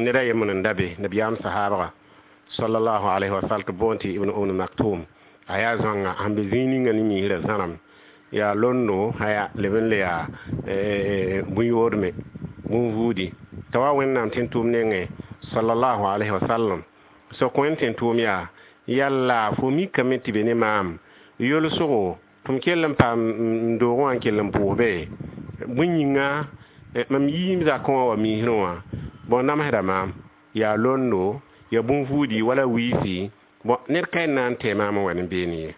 ned a yembr n da be nabiyaam sahaabga sallallahu alaihi wasallam tɩ boond tɩ ibn um maktum a yaa zãnga sẽn be zĩig ninga ne miisrã zãrem yaa londo haya leb n le yaa bũn-yoodme bũn-vuudi t'a wa wẽnnaam tɩ n tʋʋm nengẽ sallallahu alaihi wasallam sok wẽnd tɩ n tʋʋm yaa yalla fo mikame tɩ be ne maam yolsgo tɩ m kell n paam n doogẽ wã n kell n pʋʋs be bõe yĩnga mam yiim zakẽ wã wa miisrẽ wã bõn namsda maam yaa londo yaa bũn-vuudi wala wiisi bõn ned ka na n tɛɛ maam n wa ne beene ye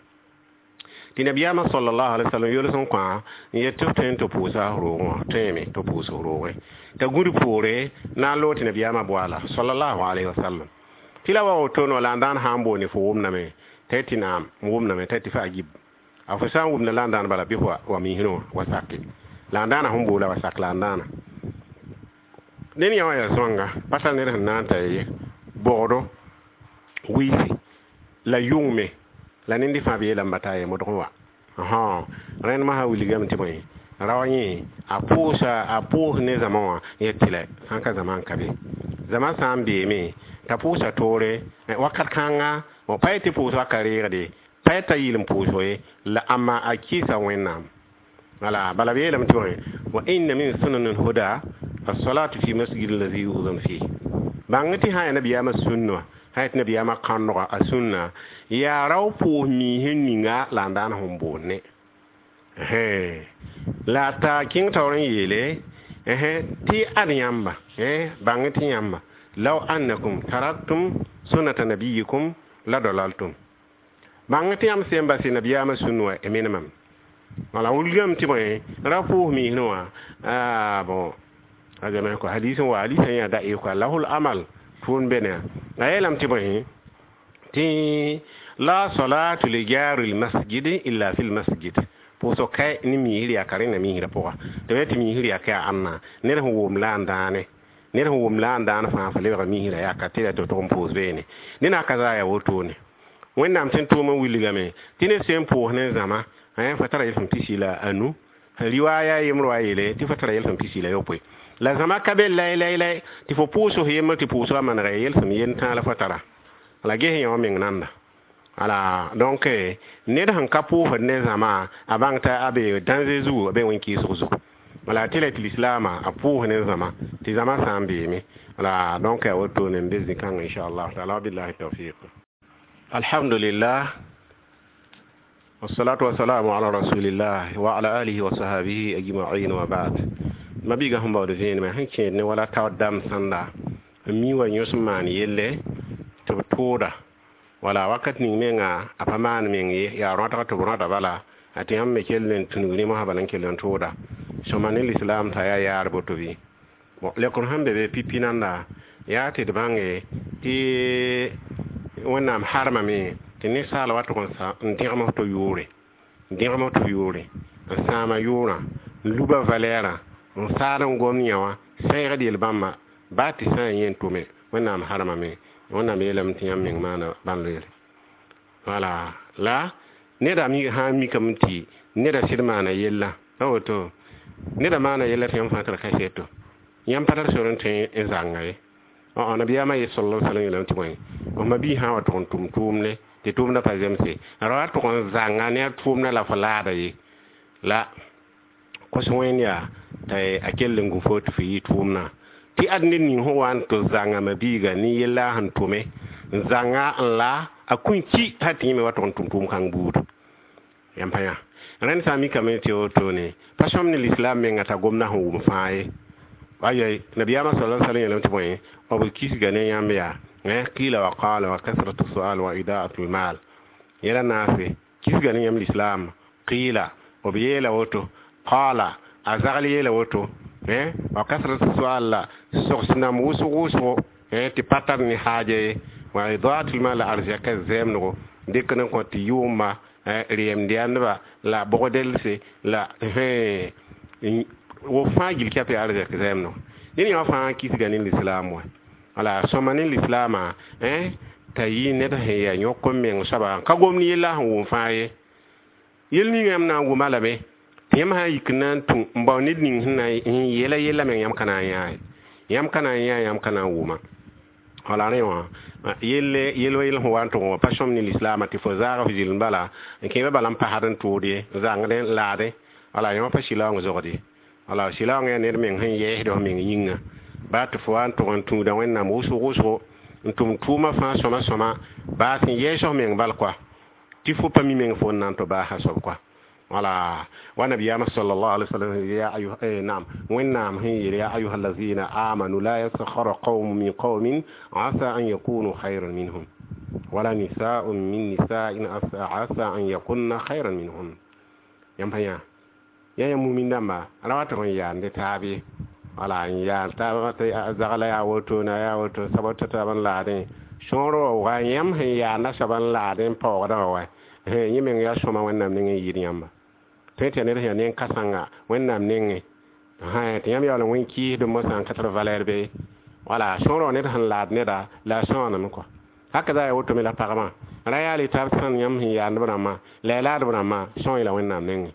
tɩ nabiyaamã sallallahu alaihi wasallam yols n kõ n yet tɩ f tõe n tɩ pʋʋsa roogẽ wã tõeme tɩ pʋʋs roogẽ t'a gũd poore na n loog tɩ nabiyaamã boala sallallahu alaihi wasallam tɩ la wa woto no la n dãan sã n boone fo wʋmdame t'a tɩ naam n wʋmdame t'a tɩ fa a gib a fo sã n wʋmda la n dãan bala bɩ fo wa miisrẽ wã wa sake la n dãana sẽn boola wa sak la n dãana ned yã wã yaa zoanga pa tar ned sẽn na n ta ye bogdo wiisi la yʋngme la ned fãa b yeelame ba taa ye modg n wa rẽnd masã wilgame tɩ bõe rao yẽ a pʋʋsa a pʋʋs ne zãma wã yet tɩ la sãn ka zãma n ka be zãma sã n beeme t'a pʋʋsa toore wakat kãnga pa yetɩ pʋʋs wa ka reegde pa yet t'a yɩl n pʋʋso ye la ãmma a kɩɩsa wẽnnaam wala bala b yeelame tɩ bõe wa inna min sunan lhuda الصلاة في مسجد الذي يؤذن فيه bãng tɩ sã yaa nabiyaamã sũnna wã sã yetɩ nabiyaamã kãndga a sũnna yaa rao pʋʋs miisẽ ninga la n daan sẽn boonne la t'a kẽng taoor n yeele tɩ ad yãmba bãng tɩ yãmba law annakum taraktum sunnata nabiyikum la dalaltum bãng tɩ yãmb sẽn base nabiyaamã sũnna wã y menemame wala wilgame tɩ bõe ra pʋʋs miisẽ wã bon azame ko hadis wa hadis ya da ko lahul amal tun bene a yeelame tɩ bõe tɩ la salatu li jari l masjid illa fi l masjid pʋʋsg ka ne miisr yaa ka rẽnda miisrã pʋga tɩ b tɩ miisr yaa ka yaa ãnna ned sẽn wʋm la n dãane ned sẽn wʋm la n dãan fãa fa lebga miisrã yaa ka tɩ la tɩ tʋg n pʋʋs beene ne na ka zaa yaa wotone wẽnnaam tɩ n tʋʋm n wilgame tɩ ned sẽn pʋʋs ne zãma fa tara yelsem pisi la anu riwaaya yembr wa yeele tɩ fa tara yelsem pisi la yopoe la zãma ka be lay lay lay tɩ fo pʋʋs yembr tɩ pʋʋsgã manega yelsem yen tãa la fo tara la ges yã wã meng nanda ala donc ned sẽn ka pʋʋsd ne zãma a bãng t'a a be danger zugu a be wẽn-kɩɩsg zugu wala tɩ la tɩ lislaamã a pʋʋs ne zãma tɩ zãma sã n beeme wala donc a wotone n be zĩ-kãngã inchallah taala wabillahi tawfiq alhamdulillah والصلاة والسلام على رسول الله وعلى آله وصحبه أجمعين وبعد ma biiga sẽn baood vẽenemã sẽn kẽed ne wala taoor dam sãnda n mi wa yõs n maan yelle tɩ b tʋʋda wala wakat ning menga a pa maan meng ye yaa rõatg tɩ b rõata bala a tɩ yãmb me kell n tũnug ne mosã bala n kell n tʋʋda sõma ne lislaam t'a yaa yaar boto bɩ bon lekr sẽn be be pipi nanda yaa tɩ d bãnge tɩ wẽnnaam harmame tɩ ninsaal wa tʋg n dẽgem to yʋʋre n dẽgem to yʋʋre n sãama yʋʋrã n luba valɛɛrã n saad n gom yã wã sɛɛgd yel-bãmba baa tɩ sã n yẽ tʋme wẽnnaam harmame wẽnnaam yeelame tɩ yãmb meng maana bãn loeere wala la neda mi sã n mikame tɩ neda sɩd maana yella a woto neda maana yella tɩ yãmb fãa tara kaseto yãmb pa tar sor n tõe n zãnga ye nabiyaamã ye sallallahu alaihi wasallam yeelame tɩ bõe f ma bii sã wa tʋg n tʋm tʋʋmne tɩ tʋʋmdã pa zemse ra wa tʋg n zãnga ne a tʋʋmdã la fo laada ye la kos wẽnd yaa t'a a kell n gu fo tɩ fo yɩ tʋʋmdã tɩ ad ned ning sẽn wa n tɩ zãnga ma biiga ne yella sẽn tʋme n zãnga n la a kũn ki t'a tɩ yẽ me wa tʋg n tʋm tʋʋm kãng buud yãmb pa yã rẽnd sã n mikame tɩ wotone pa sõm ne lislaam menga t'a gomdã sẽn wʋm fãa ye ayai nabiyaamã sala sallam yeelame tɩ bõe b kisga ne yãmb yaa qila wa qala wa kasratu sual wa idaatu lmal Yẽla naase kisga ne yãmb lislaam. Qila, b yeela woto, qala, a zagl yeela woto, wa kasrat sual la sogs nam wʋsg wʋsgo tɩ pa tar ne haaja ye, wa idaat lmal la arzɛka zɛɛmdgo dɩk n kõ tɩ yʋʋma reemd yãndba la bogdelse la wo fãa gil kɛp yaa arzɛk zɛɛmdgo. Ned yã fãa kisga ne lislaam wa. Wala sõma ne lislaamã t'a yɩ ned sẽn yaa yõk n meng soaba n ka gomd yella sẽn wʋm fãa ye. Yel ning yãmb na n wʋma lame tɩ yãmb sã n yik n na n tũ n bao ned ning sẽn na n yeela yella meng yãmb ka na n yãa ye, yãmb ka na n yã, yãmb ka na n wʋma. Wala rẽ wã yelle yel wa yel sẽn wa n tʋg wã pa sõm ne lislaamã tɩ fo zaag f zɩlm bala n kẽeba bala n pasd n tʋʋd ye, n zãngd n laadẽ. Wala yã wã pa sɩlaoong zogd ye. Wala sɩlaoong yaa ned meng sẽn yɛɛsd f meng yĩnga baa tɩ fo wa n tʋg n tũuda Wẽnnaam wʋsg wʋsgo n tʋm tʋʋmã fãa sõma sõma baa sẽn yɛɛs f meng bal koa tɩ fo pa mi meng fo n na n tɩ baasa soab koa. Wala wa nabiyama sallallahu alaihi wasallam ya ayuha eh, naam, Wẽnnaam sẽn yeel: ya ayuha allazina amanu la yaskhara qawmun min qawmin asa an yakunu khayran minhum wala nisaun min nisa'in asa an yakunna khayran minhum. Yãmb pa yã ya ya mumin dãmba ra wa tɩg n yaande taab ye. Wala n yaal taab tɩ zagla yaa woto na yaa woto sabab tɩ taab n laadẽ sõor wa wa yãmb sẽn yaanda soab n laadẽ n paoogdã wã wa yẽ meng yaa sõma Wẽnnaam nengẽ n yɩɩd yãmba. Tõe tɩ yaa ned sẽn yaa nen-kãsengã Wẽnnaam nengẽ tɩ yãmb yaool n wẽn kɩɩsd mosã n ka tar valɛɛr be. Wala sõor wã ned sẽn laad neda la a sãooname kɔa. Haka za yaa woto me la pagmã ra yaa le tab sãn yãmb sẽn yaand b rãmbã la ya laadb rãmbã sõo la Wẽnnaam nengẽ.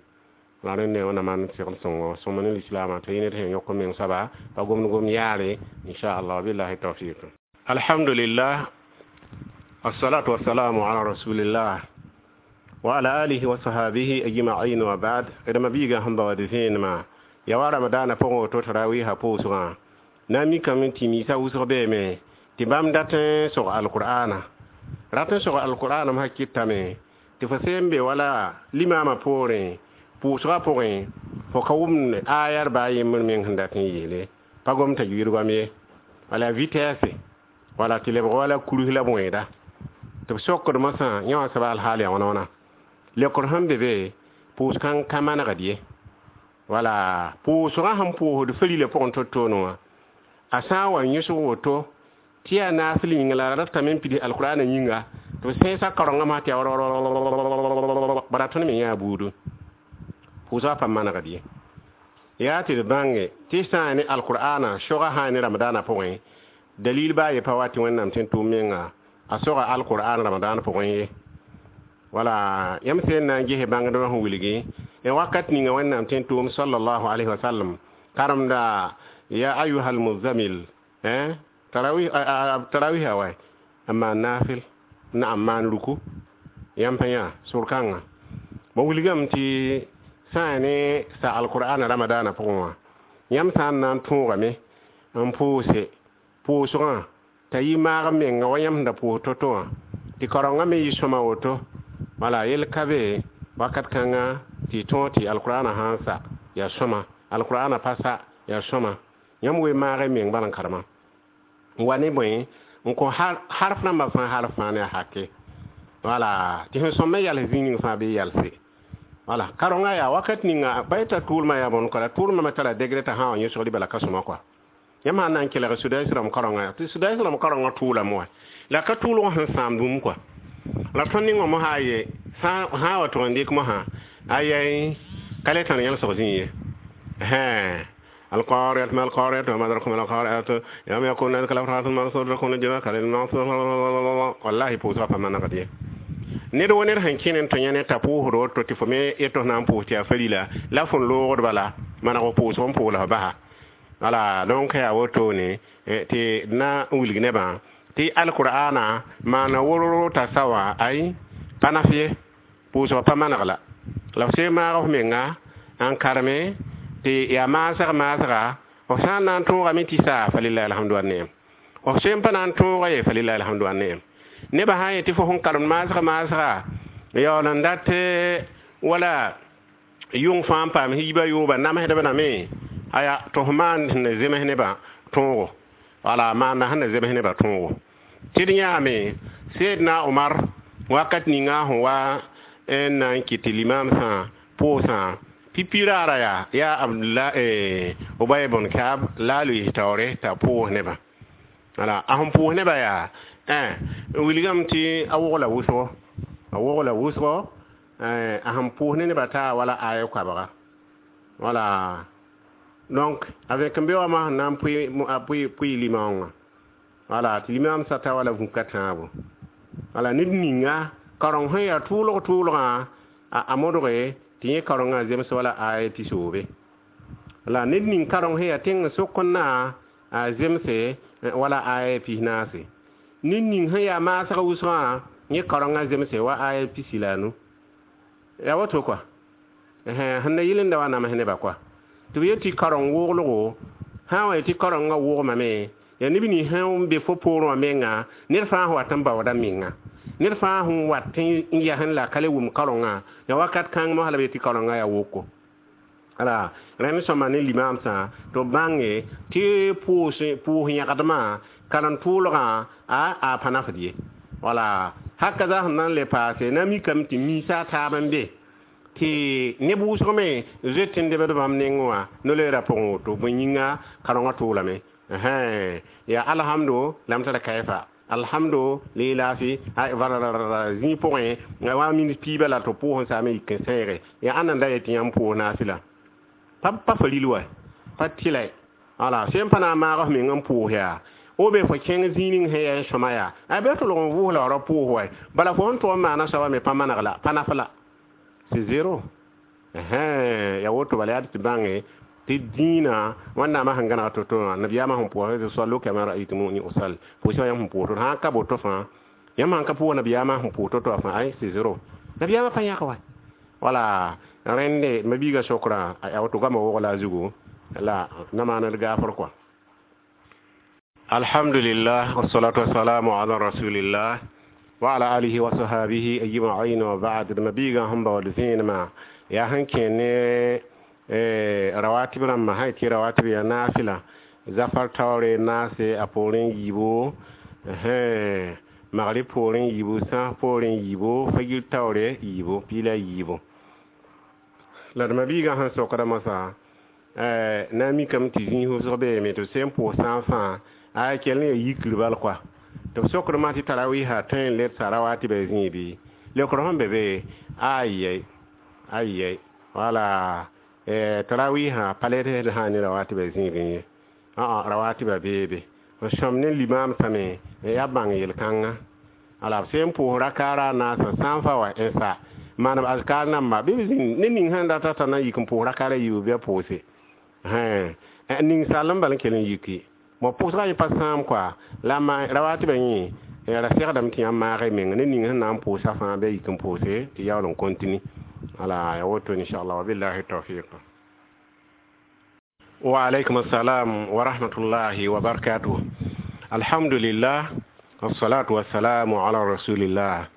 La rẽnd wẽnnaam maan segl sõngo sõma ne lislaamã t'a yɩ ned sẽn yõk n meng soaba pa gomd gom yaare, inchallah. Billahi tawfiq. Alhamdulillah, assalatu wassalamu ala rasulillah wa ala alihi wa sahabihi ajma'in wa ba'd. D mabiiga sẽn baood vẽenemã ya wa ramadaanã pʋgẽ woto tarawiisã pʋʋsgã na n mikame tɩ miisã wʋsg beeme tɩ bãmb dat n sog alqur'ana rat n sog alqur'ana sã kɩtame tɩ fo sẽn be wala limaamã poorẽ pʋʋsgã pʋgẽ fo ka wʋmd ayar baa yembr meng sẽn dat n yeele pa gom t'a yuɩdgame ye. Wala vitesse wala tɩ lebg wala kurus la bõeeda tɩ b sokd mosã yã wã soaba alhaal yaa wãna wãna lekr sẽn be be pʋʋs-kãng ka manegd ye. Wala pʋʋsgã sẽn pʋʋsd farila pʋgẽ to-toone wã a sã n wa yõsg woto tɩ yaa naasl yĩnga la a ratame n pids alqur'ana yĩnga tɩ b sẽesa kaorengã masã tɩ yaa bara tõnd me yãa buudu pʋʋsgã pa manegd ye. Yaa tɩ d bãnge tɩ sã n ne alqur'ana soga sã n ne ramadaanã pʋgẽ dalil baa ye pa wa tɩ Wẽnnaam tõe n tʋʋm menga a soga alqur'an ramadaan pʋgẽ ye. Wala yãmb sẽn na n ges bãngdbã sẽn wilgi n wakat ninga Wẽnnaam tõe n tʋʋm sallallahu alayhi wa sallam karemda ya ayuha almuzamil tarawih wa n maan naafɩl naam maan ruku yãmb pa yã sor-kãngã ba wilgame tɩ sã n ne sa alqur'ana ramadaanã pʋgẽ wã yãmb sã n na n tõogame n pʋʋse pʋʋsgã t'a yɩ maag menga wa yãmb sẽn da pʋʋs to-to wã tɩ kaorengã me yɩ sõma woto. Wala yel ka be wakat kãnga tɩ tõog tɩ alqur'ana sã n sa yaa sõma, alqur'ana pa sa yaa sõma yãmb we maag meng bala n karema n wa ne bõe n kõ harf rãmbã fãa harf fãa ne a hake. Wala tɩ sẽn sõm me yals zĩig ning fãa bɩ yalse. Wala kaorengã yaa wakat ninga pa yeta tʋʋlmã yaa bõn kɔra tʋʋlmã me tara degré t'a sã wa yõsgd bala ka sõma kɔa. Yãmb sã n na n kelg Sudais rãmb kaorengã tɩ Sudais rãmb kaorengã tʋʋlame wa la ka tʋʋlg sẽn sãamd bũmb kɔa. La tõnd ning wã mosã ye sã wa tʋg n dɩk mosã ayɛy ka le tãn yãlsg zĩig ye. القارعة ما القارعة وما أدراكم ما القارعة يوم يكون الناس كالفراش المبثوث تكون الجبال كالعهن wallahi pʋʋsgã pa manegd ye. Ned wa ned sẽn kẽne n tõ yã ne t'a pʋʋsd woto tɩ fo me yetɩ f na n pʋʋs tɩ yaa farila la fõn loogd bala maneg f pʋʋsg n pʋʋg la f basa. Wala donc yaa wotone tɩ d na n wilg nebã tɩ alqur'ana maana wororo t'a sa wã ay pa naf ye pʋʋsgã pa maneg la la f sẽn maag f menga n kareme tɩ yaa maasg maasga f sã n na n tõogame tɩ saa falilahi alhamdu wa neem f sẽn pa na n tõoga ye falilahi alhamdu wa neem. Nebã sã n yetɩ fo sẽn karemd maasg maasga yaool n dat wala yʋng fãa n paam yiibã yooba namsdb rame aya tɩ f maan sẽn na zems nebã tõogo wala maanda sẽn na zems nebã tõogo tɩ d yãame Seedna Omar Wakat ninga sẽn wa n na n kɩt tɩ limaamsã pʋʋsã pipi raara yaa yaa Abdullah Ubay bn Kaab la a loees taoore t'a pʋʋs nebã. Wala a sẽn pʋʋs nebã yaa n wilgame tɩ a wogla wʋsgo, a wogla wʋsgo, a sẽn pʋʋs ne nebã taa wala aya koabga. Wala donc avec n be wã sẽn na n pʋɩ pʋɩ limaoongã, wala tɩ limaamsã ta wala vũka tãabo. Wala ned ninga kareng sẽn yaa tʋʋlg tʋʋlgã a modge tɩ yẽ karengã zems wala aya pisoobe. La ned ning kareng sẽn yaa tẽng sokẽnã a zemse wala aya pis naase. Ned ning sẽn yaa maasg wʋsgã yẽ karengã zemse wa aya pisi la a nu. Yaa woto kɔa sẽn da yɩl n da wa nams nebã kɔa tɩ b yet tɩ kareng woglgo sã n wa yetɩ karengã wogmame yaa neb nins sẽn be fo poorẽ wã menga ned fãa sẽn wat n baooda menga, ned fãa sẽn wat n yasẽ la ka le wʋm karengã yaa wakat kãng mosã la b yet tɩ karengã yaa woko. Ala rẽnd sõma ne limaamsã tɩ b bãnge tɩ pʋʋs yãgdmã karen-tʋʋlgã a a pa nafd ye. Wala hakaza sẽn na n le paase na mikame tɩ miisa a taab n be tɩ neb wʋsg me zoet n debd bãmb nengẽ wã no-loeerã pʋgẽ woto bõe yĩnga karengã tʋʋlame. Yaa alhamdo la m tara kayfa alhamdo lilafi zĩig pʋgẽ wa minit piiba la tɩ pʋʋs n saame yik n sẽege yaa ãnna n da yet tɩ yãmb pʋʋs naafɩla pa pa fa ril wa pa tɩla. Wala sẽn pa na n maag f meng n pʋʋs yaa o be fo kẽng zĩig ning sẽn yaa n sõma yaa a bɩ tʋlg n vʋʋs la ra pʋʋs wa bala fo sẽn tʋg n maana soaba me pa maneg la pa naf la c'est zéro. Yaa woto bala yaa tɩ bãnge tɩ dĩinã wẽnnaamã sẽn gãneg to-to wã nabiyaamã sẽn pʋʋs sallu kama ra'aytumuni usall pʋʋsã yãmb sẽn pʋʋs to sã n ka boto fãa yãmb sãn ka pʋʋs nabiyaamã sẽn pʋʋs to-to wã fãa ay c'est zéro nabiyaamã pa yãk wa. Wala rẽnde mabiigã sokrã a woto goamã wogla a zugu la na maan d gaafr kɔa. Alhamdulillah wassalatu wassalamu ala rasulillah wa ala alihi wa sahabihi ajma'in wa ba'd. Mabiigã sẽn baood vẽenemã yaa sẽn kẽ ne rawatib rãmbã sã yetɩ rawatib yaa naafɩla zafar taoore naase a poorẽ yiibo, magrib poorẽ yiibu, sãas poorẽ yiibo, fagir taoore yiibo, piila yiibo. La d mabiigã sẽn sokda mosã na n mikame tɩ zĩig wʋsg beeme tɩ b sẽn pʋʋs sã n fãa a kell n yaa yikr bal kɔa tɩ b sokdmã tɩ tarawiisã tõe n ledsa rawatibã zĩig bɩ leokr sẽn be be ayɛy ayɛy wala tarawiisã pa led sã ne rawatibã zĩigẽ ye rawatibã beebe n sõm ne limaamsã me yaa bãng yel-kãnga. Ala b sẽn pʋʋs rakaara a naasã sã n fa wa n sa maaneb azkar namba bɩ b zĩnd ne ning sẽn data t'a na n yik n pʋʋs rakaara yiibu bɩ a pʋʋse ning sall n bal n kell n yiki bõ pʋʋsgã yẽ pa sãam kɔa la rawatibã yẽ ra segdame tɩ yãmb maag y meng ne ning sẽn na n pʋʋsa fãa bɩ a yik n pʋʋse tɩ yaool n continue. Ala ya woto inchallah wabillahi tawfiq. Wa alaykum assalam wa rahmatullahi wa barakatuh. Alhamdulillah wassalatu wassalamu ala rasulillah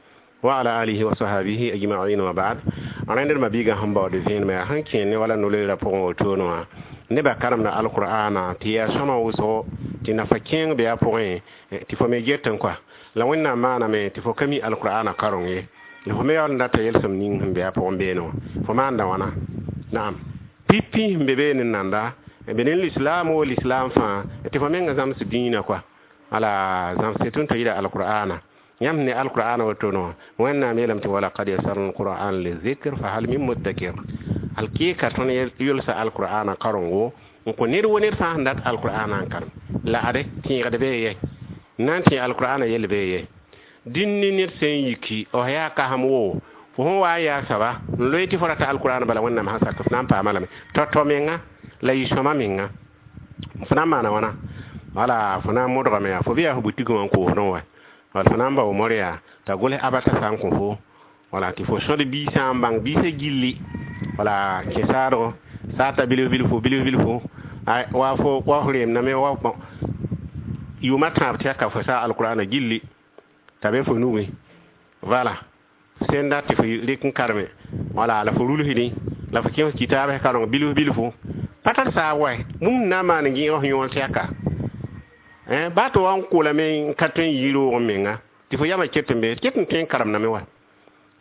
wa ala alihi wa sahbihi ajma'in wa ba'd. Rẽnd mabiigã sẽn baood vẽenemã yaa sẽn kẽ ne wala no-loeerã pʋgẽ wotone wã nebã karemda alqur'ana tɩ yaa sõma wʋsgo tɩ nafa kẽeng be a pʋgẽ tɩ fo me getẽ kɔa la wẽnnaam maaname tɩ fo ka mi alqur'ana kareng ye la fo me yaool n data yelsem ning sẽn be a pʋgẽ beene wã fo maanda wãna naam pipi sẽn be beene n nanda be ne lislaam wo lislaam fãa tɩ fo menga zãms dĩinã kɔa ala zãmse tʋn t'a yira alqur'ana yãmb ne alqur'ana woto no wẽnnaam yeelame tɩ walaqad yasarna alqur'an lizikr fa hal min muddakir alkɩka tõnd yʋlsa alqur'ana karengo n kõ ned wo ned fãa sẽn dat alqur'ana n karem la ade tẽegd bee ye n na n tẽ alqur'ana yell bee ye dĩn ne ned sẽn yiki f yaa kasem wo fo sẽn wa n yaa soaba n loe tɩ fo rata alqur'ana bala wẽnnaam sã sak f na n paama lame tao-tao menga la yɩ sõma menga fo na n maana wãna wala fo na n modgame yaa fo bɩ yaa fo butigẽ wã n koosdẽ wa wala fo na n bao mor yaa t'a gʋls abata sã n kõ fo wala tɩ fo sõd biisã n bãng biisã gilli wala kẽ saadgo saata bilf bilfo bilf bilfo wa fo wa fo reemdame wa yʋʋma tãab tɩ ka fo saa alqur'ana gilli t'a be fo nugẽ wala sẽn dat tɩ fo rɩk n karme wala la fo rulsdẽ la fo kẽes kitaabs kareng bilf bilfo pa tar saab wa bũmb na n maan n gẽeg f yõor tɛka baa tɩ wa n kolame n ka tõe n yɩ roog menga Tɩ fo yamã ket n be ket n tõe n karemdame wa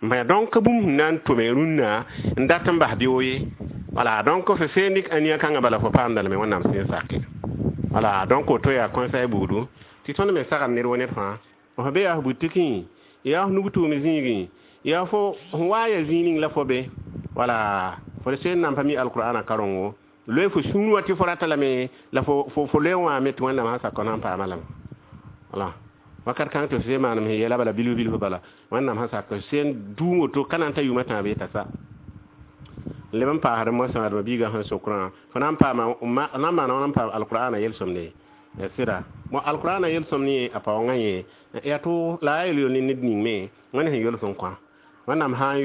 n donc bũmb sẽn na n tʋme rũnnã n dat n bas beoog ye. Wala donc fo seen dɩk ania kãngã bala fo paamda lame Wẽnnaam sẽn sake. Wala donc woto yaa conseil buudu tɩ tõnd me sagd ned wa ned fãa. F be yaa f butikẽ, yaa f nug tʋʋm zĩigẽ, yaa fo sẽn wa n yaa zĩig ning la fo be. Wala fo seen nan pa mi alqur'ana karengo, loe fo sũur wã tɩ fo rata lame la fo fo loe wã me tɩ Wẽnnaam sã sak fo na n paama lame. Wala wakat kãng tɩ f sẽn maanem sẽn yeela bala bilf bilf bala Wẽnnaam sã sak sẽn dũum woto ka na n ta yʋʋmã tãab yeta sa. Leb n paasd moasã d ma-biigã sẽn sokrã fo na n paama na n maana wãn n paam alqur'ana yel-sõmde ya sɩda. Bon, alqur'ana yel-sõmd yẽ a paoongã yẽ yaa tʋ la a yel-yol ne ned ning me Wẽnd sẽn yols n kõ. Wẽnnaam sã n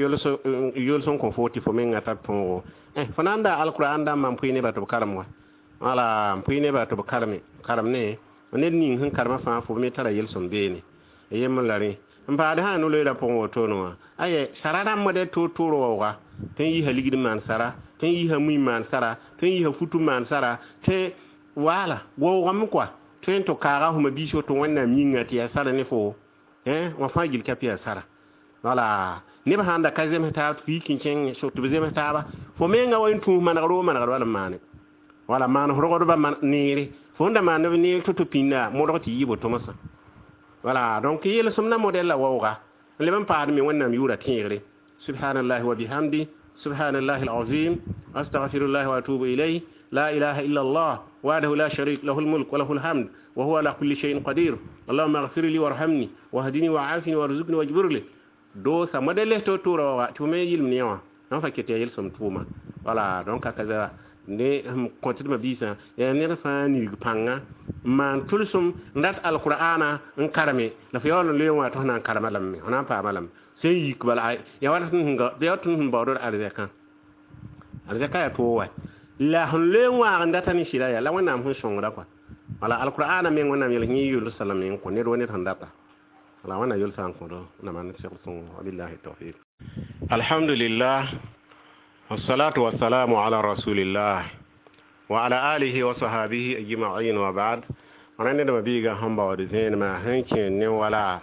yols n kõ fo tɩ fo mengã tar tõogo, fo na n daa alqur'an dãmbã n pʋɩ nebã tɩ b karem wa. Wala n pʋɩ nebã tɩ b kareme karem ne ned ning sẽn karemã fãa fo me tara yel-sõm beene yembr la rẽ. N paasd sã no-loeerã pʋgẽ wotone wã aye sara rãmb d toor-toor waooga tõe n yiisa ligd n maan sara, tõe n yiisa mui n maan sara, tõe n yiisa futu n maan sara, tõe wala waoogame koa tõe n tɩ kaaga fo ma-biis woto Wẽnnaam yĩnga tɩ yaa sara ne fo wã fãa gill ka pɩ yaa sara. Wala neb sãn da ka zems taab tɩ f yik n kẽng tɩ b zems taaba fo menga wa n tũus manegr woo manegr wala n maane. Wala maan f rogdbã neere fo sẽn da maan b neer to-to pĩnda modg tɩ yɩ bo tomsã. Wala donc yel-sõmdã modɛl la waooga n leb n paasd me Wẽnnaam yʋʋra tẽegre. Subhanallahi wa bihamdi, subhanallahi alazim, astaghfirullahi wa atubu ilayh, la ilaha illa Allah wahdahu la sharik lahu almulk wa lahu alhamd wa huwa ala kulli shay'in qadir, allahumma ighfir li warhamni wahdini wa'afini warzuqni wajbir li. Doosa modɛl to-toora waooga tɩ fo me yɩlem ne wã n fa ket yaa yel-sõmd tʋʋma. Wala donc a kaza ne sẽn kõt d ma-biisã yaa ned fãa nirg pãnga n maan tʋlsem n rat alqur'ana n kareme la fo yaool n loe wã tɩ f na n karema lame, f na n paama lame sẽn yik bala yaa wa tɩ sẽn baood d arzɛkã. Arzɛka yaa toog wa la sẽn loe n waag n data ne sɩda yaa la Wẽnnaam sẽn sõngra kɔa. Wala alqur'ana meng Wẽnnaam yel yẽ yʋls lame n kõ ned wa ned sẽn data. Wala Wẽnnaam yʋlsã n kõdo na maan segl sõngo. Wabillahi tawfiq. Alhamdulillah, wassalatu wassalamu ala rasulillah wa ala alihi wa sahabihi ajma'in wa ba'd. Rẽnd d ma-biigã sẽn baood zẽenemã sẽn kẽer ne wala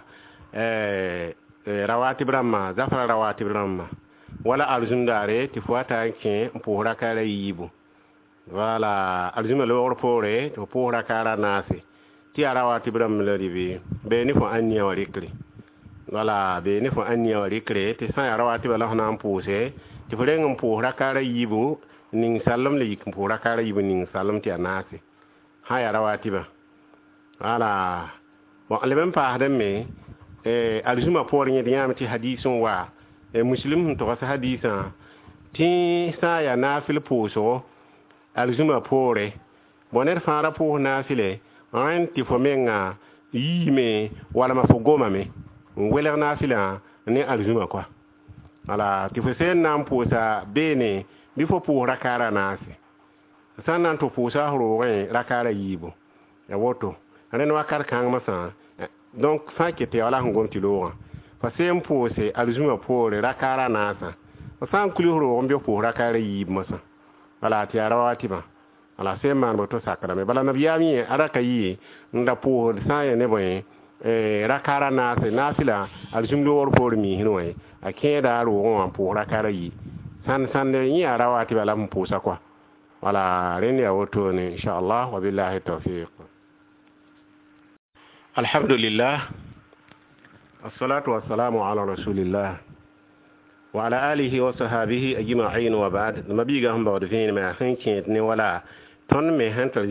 rawatib rãmbã, zafra rawatib rãmbã wala arzũm daare tɩ fo wa ta n kẽ n pʋʋs rakaara yiibu. Wala arzũmã loogr poore tɩ fo pʋʋs rakaara naase tɩ yaa rawatib rãmb la rɩ bee ne fo ãnia wã rɩkre. Wala bee ne fo ãnia wã rɩkre tɩ sã n yaa rawatibã la fo na n pʋʋse tɩ fo reng n pʋʋs rakaara yiibu ning salem la yik n pʋʋs rakaara yiibu ning salem tɩ yaa naase sã yaa rawatibã. Wala bon, leb n paasdẽ me arzũmã poor yẽd yãame tɩ hadiis n wa muslim sẽn togs hadiisã tɩ sã n yaa naafɩl pʋʋsgo arzũmã poore. Bon, ned fãa ra pʋʋs naafɩle rẽnd tɩ fo menga yiime walma fo gomame n welg naafɩlã ne arzũmã koa. Wala tɩ fo seen na n pʋʋsa beene bɩ fo pʋʋs rakaara naase, sã n na n tɩ pʋʋsa f roogẽ rakaara yiibu ya woto rẽnd wakat kãng masã. Donc sã n ket tɩ ya wala sẽn gom tɩ loogã fo seen pʋʋse arzũmã poore rakaara naasã, fo sã n kuls roog n bɩ f pʋʋs rakaara yiib mosã. Wala tɩ yaa rawatibã. Wala sẽn maan woto sakrame. Bala nabiyaam yẽ a ra ka yɩ n da pʋʋsd sã n yaa ne bõe rakaara naase naafɩla arzũm loogr poor miisẽ wã a kẽeda a roogẽ wã n pʋʋs rakaara yi sãn sãnd yẽ yaa rawatibã la m pʋʋsa koa. Wala rẽnd yaa wotone inchallah, wabillahi tawfiq. Alhamdulillah, assalatu wassalamu ala rasulillah wa ala alihi wa sahabihi ajma'in wa ba'd. Ma-biigã sẽn baood vẽenemã sẽn kẽed ne wala tõnd me sẽn tar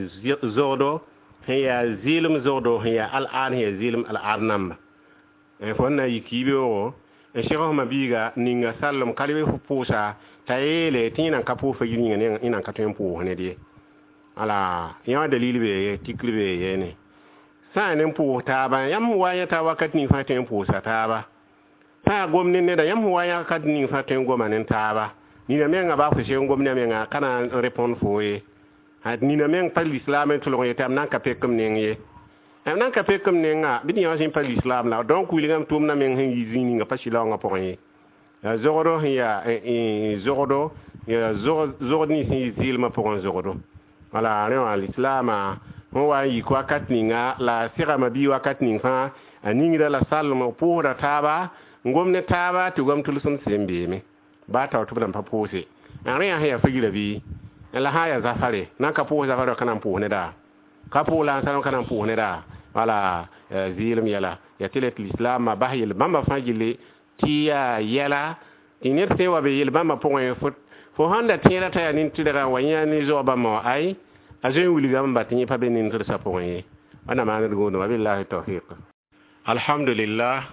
zogdo sẽn yaa zɩɩlem zogdo sẽn yaa al-aad sẽn yaa zɩɩlem al-aad namba fo n na n yik yibeoogo n seg f ma-biiga ninga sallem ka leb f pʋʋsa t'a yeele tɩ yẽ nan ka pʋʋs fajir yĩnga yẽ nan ka tõe n pʋʋs ned ye. Wala yẽ wã dalil bee tikr bee yeene sã n yaa ne n pʋʋs taaba yãmb wa yã taa wakat ning fãa tõe n pʋʋsa taaba, sã n yaa gom ne neda yãmb wa yã kat ning fãa tõe n goma ne taaba. Nina menga baa fo seg n gom ne a menga ka na n répondre fo ye. Nina meng pa lislaam n tʋlg yetɩ m na n ka pek m neng ye, m na n ka pek m nenga bɩ tɩ yã sẽn pa lislaam la. Donc wilgame tʋʋmdã meng sẽn yi zĩig ninga pa sɩlaoongã pʋgẽ ye. Yaa zogdo sẽn yaa zogdo yaa zogd nins sẽn yɩ zɩɩlmã pʋgẽ zogdo. Wala rẽ wã lislaamã sẽn wa n yik wakat ninga la a segame bɩ wakat ning fãa A ningra la salem pʋʋsda taaba n gom ne taaba tɩ gom tʋlsem sẽn beeme baa tao tɩ b nan pa pʋʋse n rẽ yaa sẽn yaa fagira bɩ la sã n yaa zafare nan ka pʋʋs zafare ka na n pʋʋs neda ka pʋʋs la n salem ka na n pʋʋs neda wala zɩɩlem yɛla yaa tɩ la tɩ lislaamã bas yel-bãmbã fãa gilli tɩ yaa yɛla tɩ ned sẽn wa be yel-bãmbã pʋgẽ fo sãn da tẽeda t'a yaa nin-tɩrgã wa yã ne zoa bãmba wã ay a zoe n wilgame ba tɩ yẽ pa be nin-tɩrsã pʋgẽ ye wẽnnaam maan d gũudum wabillahi tawfiq. Alhamdulillah,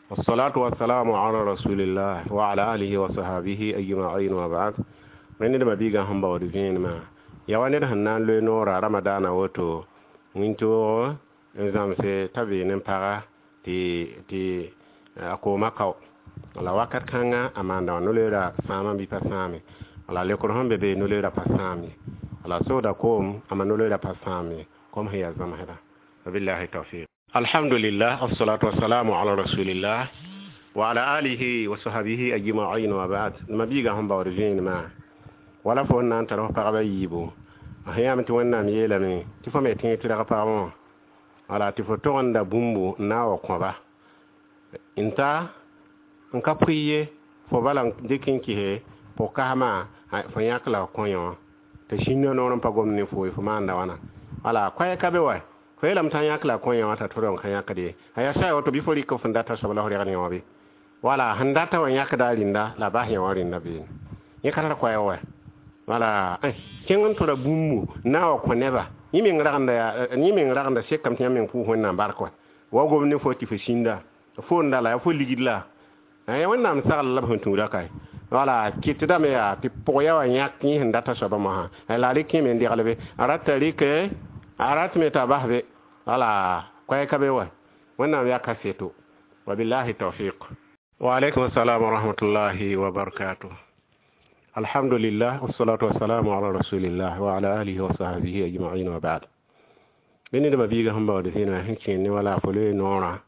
wassalatu wassalamu ala rasulillah wa ala alihi wa sahabihi ajma'in wa ba'd. Rẽnd ned mabiigã sẽn baood vẽenemã yaa wa ned sẽn na n loe noora ramadaana woto wĩntoog n zãmse t'a veen n paga tɩ tɩ a kooma kao la wakat kãnga a maanda wã no-loeera sãamã bɩ pa sãame la lekr sẽn be be no-loeera pa sãam ye la sooda koom ama no-loeera pa sãam ye kom sẽn yaa zãmsda wabillahi tawfiq. Alhamdulillah, wassalatu wassalamu ala rasulillah wa ala alihi wa sahbihi ajma'in wa ba'd. Mabiigã sẽn baood vẽenemã wala fo n na n tar f pagba yiibu a sẽn yaame tɩ Wẽnnaam yeelame tɩ fo me tẽeg tɩrg pagb wã wala tɩ fo togenda bũmbu n na n wa kõba n ta n ka pʋɩ ye fo bala n dɩk n kɩse pʋg-kasmã fo yãk la f kõ yõ tɩ sĩndã noor n pa gomd ne fo ye fo maanda wãna wala koɛɛg ka be wa fo yeelame t'a yãk la a kõ yõ wã t'a tʋrg n ka yãkd ye a yaa sa woto bɩ fo rɩk f sẽn data soab la f regd yõ bɩ wala sẽn data wã yãkda a rĩnda la a bas yõ wã rĩnda beene yẽ ka tar koɛɛg wa wala kẽng n tora bũmbu n na n wa kõ neba yẽ meng ragenda yẽ meng ragenda sekame tɩ yãmb meng pʋʋs Wẽnnaam bark wa wa gom ne fo tɩ fo sĩnda foonda la yaa fo ligd la ya Wẽnnaam sagl la b sẽn tũuda kae wala kɩtdame yaa tɩ pʋg ya wa yãk yẽ sẽn data soabã mosã la a rɩk kẽeme n deglbe a rata rɩk a ratme t'a bas be wala koɛɛg ka be wa Wẽnnaam yaa kaseto wabillahi tawfiq. Wa alaikum assalam wa rahmatullahi wa barakatuh. Alhamdulillah, wassalatu wassalamu ala rasulillah wa ala alihi wa sahbihi ajma'in wa ba'd. Bɩ ned mabiigã sẽn baood vẽenemã sẽn kẽer ne wala fo loe noorã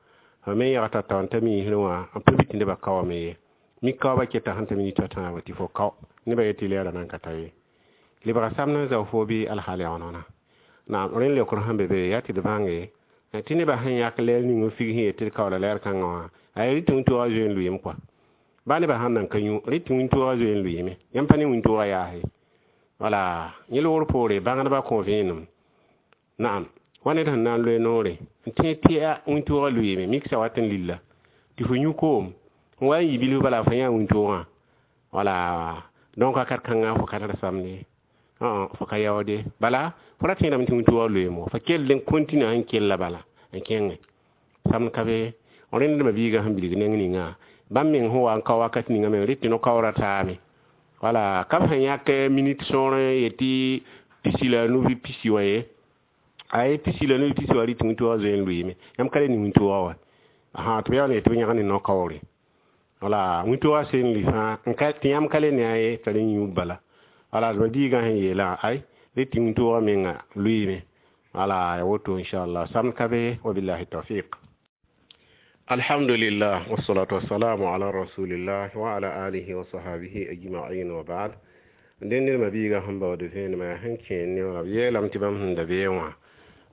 fo me yagta tao n ta miisrẽ wã n pa bɩ tɩ nebã kaoome ye mik kaoobã keta sẽn ta minita tãabo tɩ fo kao nebã yetɩ lɛɛra nan ka ta ye lebga samd n zao fo bɩ alhaal yaoonona naam rẽnd leokr sẽn be be yaa tɩ d bãnge tɩ nebã sẽn yãk lɛɛr ning n fig sẽn yet tɩ d kaoola lɛɛr kãngã wã a rɩ tɩ wĩntoogã zoe n lʋɩɩm kɔa baa nebã sãn nan ka yũ rɩ tɩ wĩntoogã zoe n lʋɩɩme yãmb pa ne wĩntoogã yaase wala yẽ loogr poore bãngdbã kõ vẽenem naam wa ned sẽn na n loe noore n tẽeg tɩ a wĩntoogã lʋɩɩme miksa wat n lilla tɩ fo yũ koom n wa n yi bilf bala fo yã wĩntoogã wala donc wakat kãngã fo ka tar samde fo ka yaoode bala fo ra tẽedame tɩ wĩntoogã lʋɩɩm fo kell n continue sẽn kella bala n kẽnge samd ka be rẽnd mabiigã sẽn bilg neng ninga bãmb meng sẽn wa n kao wakat ninga meng rɩ tɩ no-kaoora taame wala ka b sẽn yãk minit sõor yetɩ pisi la nu bɩ pisi wã ye ay pisi la nu bɩ pisi wã rɩ tɩ wĩntoogã zoe n lʋɩɩme yãmb ka le ne wĩntoogã wa tɩ b yaool n yetɩ b yãg ne no-kaoore wala wĩntoogã sẽn lʋɩ fãa tɩ yãmb ka le ne a ye t'a rẽ yũ bala wala d mabiigã sẽn yeelã ay rɩ tɩ wĩntoogã menga lʋɩɩme wala ya woto inchallah samd ka be wabillahi tawfiq. Alhamdulillah, wassalatu wassalamu ala rasulillah wa ala alihi wa sahbihi ajma'in wa ba'd. Dẽnd ned mabiigã sẽn baood vẽenemã sẽn kẽer ne wã b yeelame tɩ bãmb sẽn da bee wã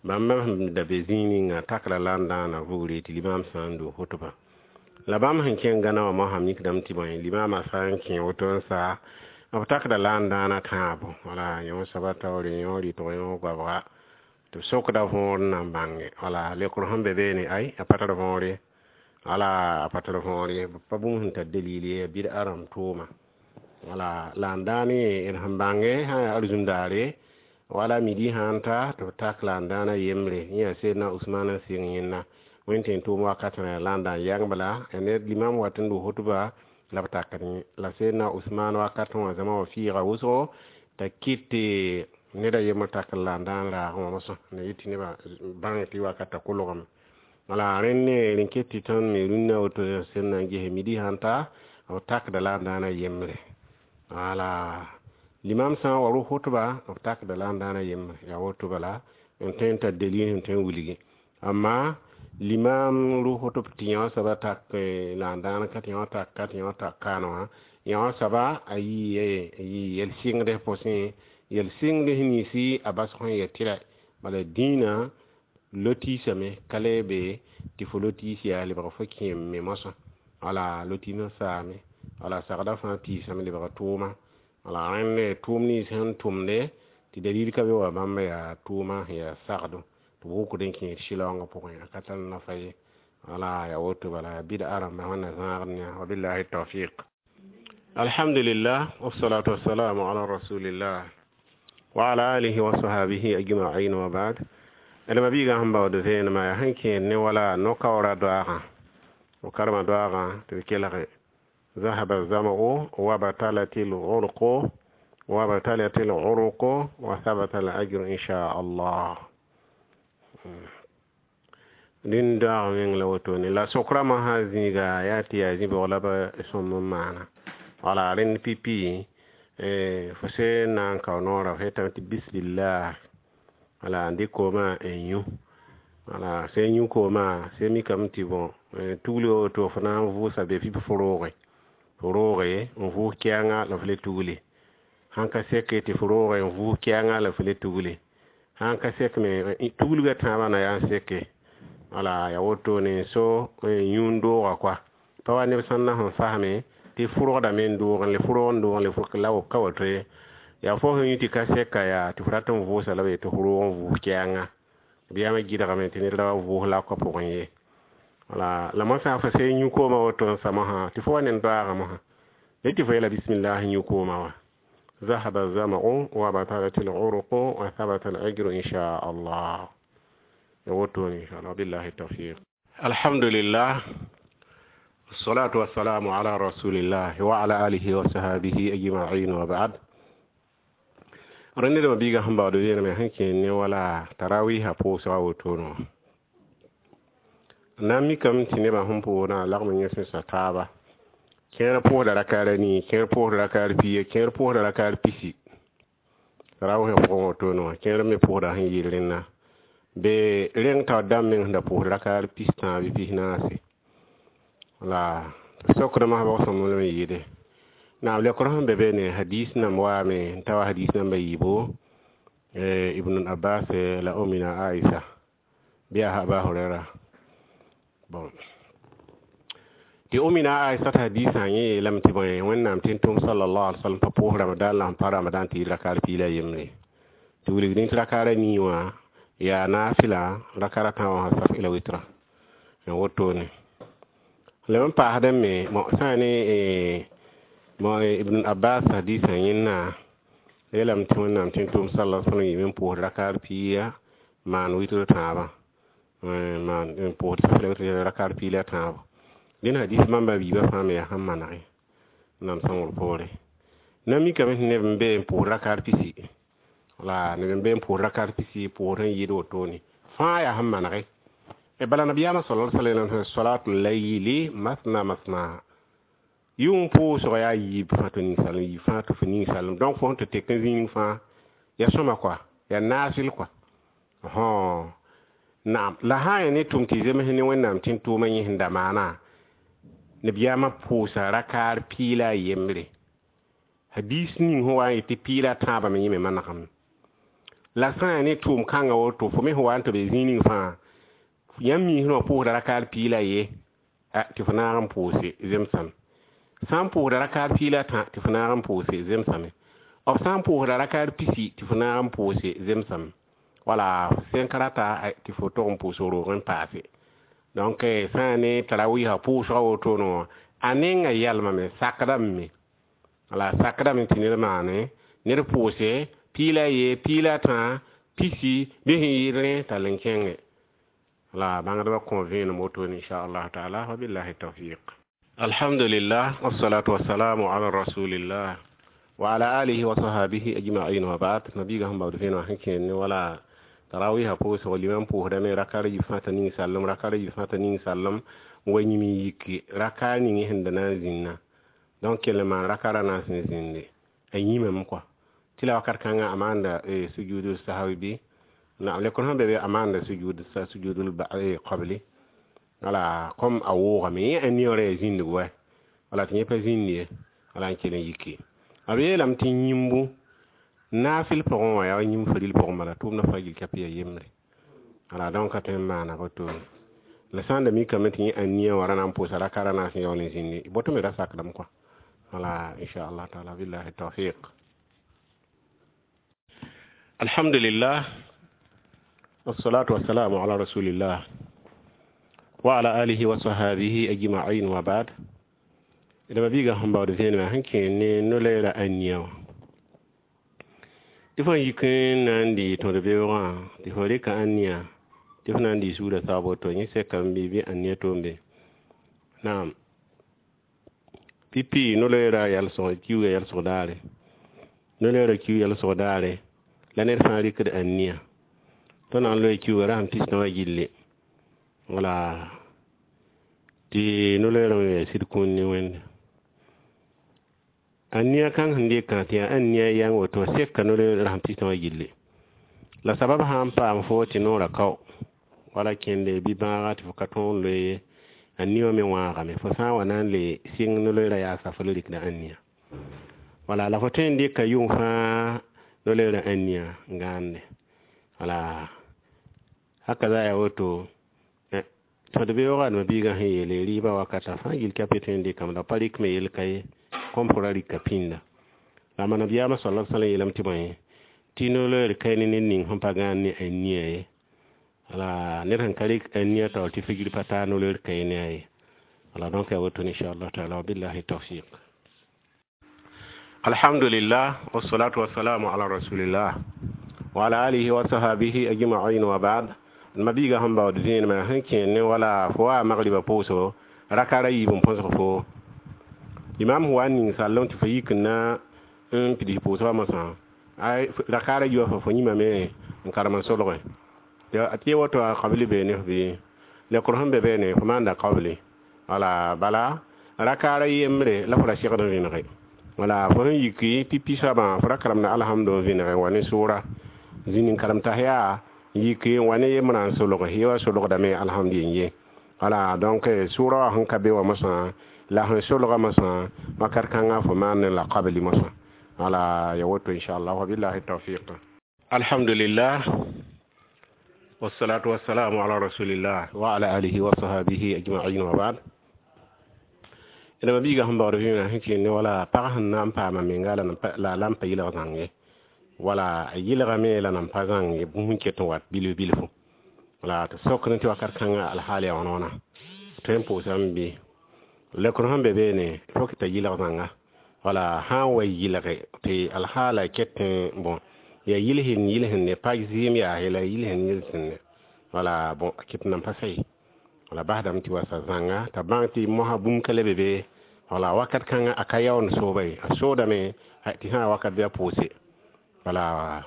bãmb sẽn da be zĩig ninga takla la n dãana vugre tɩ limaam sã n doo hotba la bãmb sẽn kẽng gãna wã mosã mikdame tɩ bõe limaamã sã n kẽ woto n sa b takda la n dãana tãabo wala yõ soaba taoore yõ rɩtg yõ goabga tɩ b sokda võor n na n bãnge wala lekr sẽn be beene ay a pa tar võor ye wala a pa tar võor ye b pa bũmb sẽn tar dalil ye bɩd-a rãmb tʋʋma wala la n dãan ye d sẽn bãnge sã yaa arzũm-daare wala midi sãn ta tɩ b tak la n dãana yembre yẽ yaa Sedna Usman n sɩng yẽnna wẽn tẽn tʋʋm wakatã la n daan yãng bala ned limam wat n dʋ hotba la b takd yẽ la Sedna Usman wakatã wã zãma wã fiiga wʋsgo t'a kɩt tɩ ned a yembr tak la n dãan raagẽ wã mosã na yet tɩ nebã bãng tɩ wakatã kolgame wala rẽnd ne rẽn ket tɩ tõnd me rũnnã woto sẽn na n ges midi sãn ta b takda la n dãana yembre wala limam sã n wa rʋ hotba b takda la n dãana yembre yaa woto bala n tõe n tar dalil sẽn tõe n wilgi amma limam rʋ hotb tɩ yõ soaba tak la n dãan ka tɩ yõ tak ka tɩ yõ tak kaan wã yõ soaba a yɩ yel-sɩngd pʋsẽ yel-sɩngd ninsi a basg sẽn yet tɩ bala dĩinã Lotiisame ka le be tɩ fo lotiis yaa lebg fo kẽem me moasã. Wala lotiisã saame, wala sagda fãa piisame lebg tʋʋma. Wala rẽnd tʋʋm nins sẽn tʋmde tɩ dalil ka be wa bãmb yaa tʋʋma sẽn yaa sagdo tɩ b wʋkd n kẽed sɩlaoongã pʋgẽ, a ka tar nafa ye. Wala yaa woto bala, yaa bɩda rãmba wẽnna zãagd ne wabillahi tawfiq. Alhamdulillah, wassalatu wassalamu ala rasulillah wa ala alihi wa sahabihi ajma'in wa ba'd. D mabiigã sẽn baood vẽenemã yaa sẽn kẽed ne wala no-kaoora doaagã, f karema doaagã tɩ b kelge: ذهب الظمأ وابتلت العرق وابتلت العروق وثبت الأجر إن شاء الله. Dĩn doaag meng la wotone la sokrama sã zĩiga yaa tɩ yaa zĩ-bʋg la b sõm n maana. Wala rẽnd pipi fo sẽn na n kao noorã, f yetame tɩ bismillah, wala n dɩk koomã n yũ. Wala sẽn yũ koomã, sẽn mikame tɩ bõ tugl woto fo na n vʋʋsa be pipi fo rooge, fo rooge n vʋʋs kɛɛngã la f le tugli. Sãn ka seke tɩ fo rooge n vʋʋs kɛɛngã la f le tugli, sãn ka sek me tuglgã tãabã na yaa n seke. Wala yaa wotone so yũ n dooga koa pa wa neb sẽn na sẽn fasme tɩ fʋrgdame n doog n le fʋrg n doog n le fʋrg la ka woto ye. Yaa fo sẽn yũ tɩ ka seka yaa tɩ fo rat n vʋʋsa la b yetɩ fo roog n vʋʋs kɛɛngã b yam gɩdgame tɩ ned ra wa vʋʋs lakã pʋgẽ ye. Wala la moasã fo sẽn yũ koomã woto n sa mosã tɩ fo wa ned doaagã mosã le tɩ fo yeela bismillah yũ koomã wã: ذهب الظمأ وبطلت العروق وثبت الأجر إن شاء الله. وتون إن شاء الله، بالله التوفيق. الحمد لله، الصلاة والسلام على رسول الله وعلى آله وصحبه أجمعين وبعد. Rẽnd d biiga sẽn baood vẽenemã sẽn kẽed ne wala tarawiisã pʋʋsga wotone na n mikame tɩ nebã sẽn pʋʋsdã lagm n yẽsẽsa taaba. Kẽer pʋʋsda rakaar a nii, kẽer pʋʋsda rakaar pia, kẽer pʋʋsda rakaar pisi tarawiisã pʋgẽ wotone wã. Kẽer me pʋʋsda sẽn yɩl rẽnna be rẽng taoor dãmb meng sẽn da pʋʋsd rakaar pis-tãab bɩ pis-naase. La sokdmã bg sõm lame yɩɩde naam lekr sẽn be be ne hadis nam waame n ta wa hadis namba yiibo, Ibn Abbas la Omina Aisha bɩ yaa Aba Hurera. Bon, tɩ Omina Aisha t'a hadisã yẽ yeelame tɩ bõe, Wẽnnaam tẽn-tʋm sallallahu alaihi wasallam pa pʋʋs Ramadan la sẽn pa Ramadan tɩ yɩ rakaar piig la yembre, tɩ wilgdẽ tɩ rakaar a nii wã yaa naafɩla, rakaar a tã wã saf la witra n wotone. Leb n paasdẽ me sã ne Ibn Abbas hadisã yẽnna yeelame tɩ Wẽnnaam tẽn-tʋm sallallahu alaihi wasallam yɩɩm n pʋʋs rakaar piiga maan witr tãabã, maan n pʋʋs saf la witr rakaar piig la tãabo. Dẽn hadis bãmba biibã fãa me yaa sẽn manege nam sõngr poore. Na mikame tɩ neb n be n pʋʋs rakaar pisi, wala neb n be n pʋʋs rakaar pisi pʋʋs n yɩɩd wotone fãa yaa sẽn manege. Bala nabiyaamã sala sallam salatu layli masna masna, yʋng pʋʋsg yaa yiib fãa tɩ ninsalem, yiib fãa tɩ fo ninsalem. Donc fo sẽn tɩ tek n zĩig fãa yaa sõma koa, yaa naasɩl koa. Naam, la sã n yaa ne tʋm tɩ zems ne Wẽnnaam tẽn-tʋʋmã yẽ sẽn da maana nabiyaamã pʋʋsa rakaar piig la a yembre. Hadis ning sẽn wa n yetɩ piig la a tãabã me yẽ me manegame. La sã n yaa ne tʋʋm kãngã woto, fo me sẽn wa n tɩ be zĩig ning fãa yãmb miisẽ wã pʋʋsda rakaar piig la ye tɩ fo naag n pʋʋse zemsame. Sã n pʋʋsda rakaar piig la tã tɩ fo naag n pʋʋse zemsame. B sã n pʋʋsda rakaar pisi tɩ fo naag n pʋʋse zemsame. Wala sẽn ka rata tɩ fo tog n pʋʋs roog n paase. Donc sã n yaa ne tarawiisã pʋʋsgã wotone wã, a nenga yalmame, sakdame me, wala sakdame tɩ ned maane ned pʋʋse piig la ye, piig la tã, pisi bɩ sẽn yɩɩd rẽ tall n kẽnge. La bãngdbã kõ vẽenem wotone inchallah taala, wabillahi tawfiq. Alhamdulillah, wassalatu wassalamu ala rasulillah wa ala alihi wa sahabihi ajma'in wa ba'd. Nabiga sẽn baood vẽenemã sẽn kẽed ne wala tarawiisã pʋʋsg, limam pʋʋsdame rakaar yiib fãa t'a ning-sallem, rakaar yiib fãa t'a ning-sallem n wa yĩm n yiki rakaar ning sẽn da na n zĩnna. Donc kell n maan rakaarã na n sẽn zĩnde a yĩmame kɔa tɩ la wakat kãngã a maanda sujuudul sahwi bɩ naam lekr sẽn be be a maanda sujud sujudul qabli. Wala comme a woogame yẽ a neoorã yaa zĩndg wa wala tɩ yẽ pa zĩnd ye, wala n kell n yiki. B yeelame tɩ yĩmbu naafɩl pʋgẽ wã yaa yĩmb faril pʋgẽ bala tʋʋmdã fãa gil ka yaa yembre. Wala donc ka tõe n maana wotone la sã n da mikame tɩ yẽ ãnia wã ra na n pʋʋsa raka ra naas n yaool n zĩndi boto me ra sakdame kɔa. Wala inchallah taala, billahi tawfiq. Alhamdulillah, wassalatu wassalamu ala rasulillah wa ala alihi wa sahabihi ajma'in wa ba'd. D ma biiga sẽn baood vẽenemã sẽn kẽ ne no-loeera ãnia wã tɩ fo yik n na n dɩ tõd-beoogã tɩ fo rɩka ãnia tɩ fo na n dɩ suudã saab woto yẽ sekame bɩ bɩ ãnia toombe. Naam, pipi no-loeera yalsg kiuugã yalsg daare, no-loeera kiug yalsg daare la ned fãa rɩkd ãnia tõnd na n loe kiuugã rasem pis-tã wã gilli. Wala tɩ no-loeerã me yaa sɩd kũun ne Wẽnde. Ãnia kãng sẽn dɩkã tɩ yaa ãnia yãng woto seka no-loeer rasem pis-tã wã gilli. La sabab sã n paam fo tɩ noorã kao wala kẽnde bɩ bãaga tɩ fo ka tõog n loe ye, ãnia wã me wãagame. Fo sã n wa na n le sɩng no-loeerã yaasa fo le rɩkda ãnia. Wala la fo tõe n dɩka yʋng fãa no-loeerã ãnia n gãande. Wala haka za yaa woto tõd-beoogã adema biigã sẽn yeele rɩɩbã wakata fãa gill tɩ a pe tõe n dɩkame la pa rɩk me yel ka ye kõm fo ra rɩka pĩnda. La ma nabiyaamã sala sallam yeelame tɩ bõe tɩ no-loeer ka ne ned ning sẽn pa gãand ne ãnia ye. Wala ned sẽn ka rɩk ãnia taoor tɩ figr pa taa no-loeer ka ne a ye. Wala donc yaa woto inchallah taala, wabillahi tawfiq. Alhamdulillah, wassalatu wassalamu ala rasulillah wa ala alihi wa sahabihi ajma'in wa ba'd. Ma biiga sẽn baood vẽenemã sẽn kẽ ne wala fo wa magriba pʋʋsgo raka ra yiib n põsg fo imam sẽn wa n ning sallem tɩ fo yik n na n pids pʋʋsgã mosã raka ra yiibã fo fo yĩmame n karem n solge tɩ woto a qabli beene f bɩ lekr sẽn be beene fo maanda qabli. Wala bala raka ra yembre la fo ra segd n vẽnege. Wala fo sẽn yiki pipi soabã fo ra karemda alhamdu n vẽnege n wa ne sʋʋra zĩnd n karem t'a yaa yiki n wa ne yembrã n solge ye wa solgdame alhamdu yen ye. Wala donc sʋʋra wã sẽn ka be wã mosã la sẽn solga mosã wakat kãngã fo maan la qabli mosã. Wala ya woto inchallah, wabillahi tawfiq. Alhamdulillah, wassalatu wassalamu ala rasulillah wa ala alihi wa sahabihi ajma'in wa ba'd. D ma biiga sẽn baood vẽenã sẽn kẽ ne wala pag sẽn na n paama menga la la n pa yɩlg zãng ye, wala a yɩlgame la nan pa zãng ye bũmb sẽn ket n wat bilf bilfu. Wala tɩ sokd tɩ wakat kãngã alhaal yaa wãna wãna tõe n pʋʋsame bɩ lekr sẽn be beene fo t'a yɩlg zãnga. Wala sã n wa yɩlge tɩ alhaala ket n bon yaa yɩlsend yɩlsende pa zɩɩm yaase la yɩlsend yɩlsende. Wala bon a ket nan pa sa ye. Wala basdame tɩ wasa zãnga t'a bãng tɩ mosã bũmb ka le be be. Wala wakat kãngã a ka yaoond sooba ye, a soodame tɩ sã wakat bɩ a pʋʋse. Wala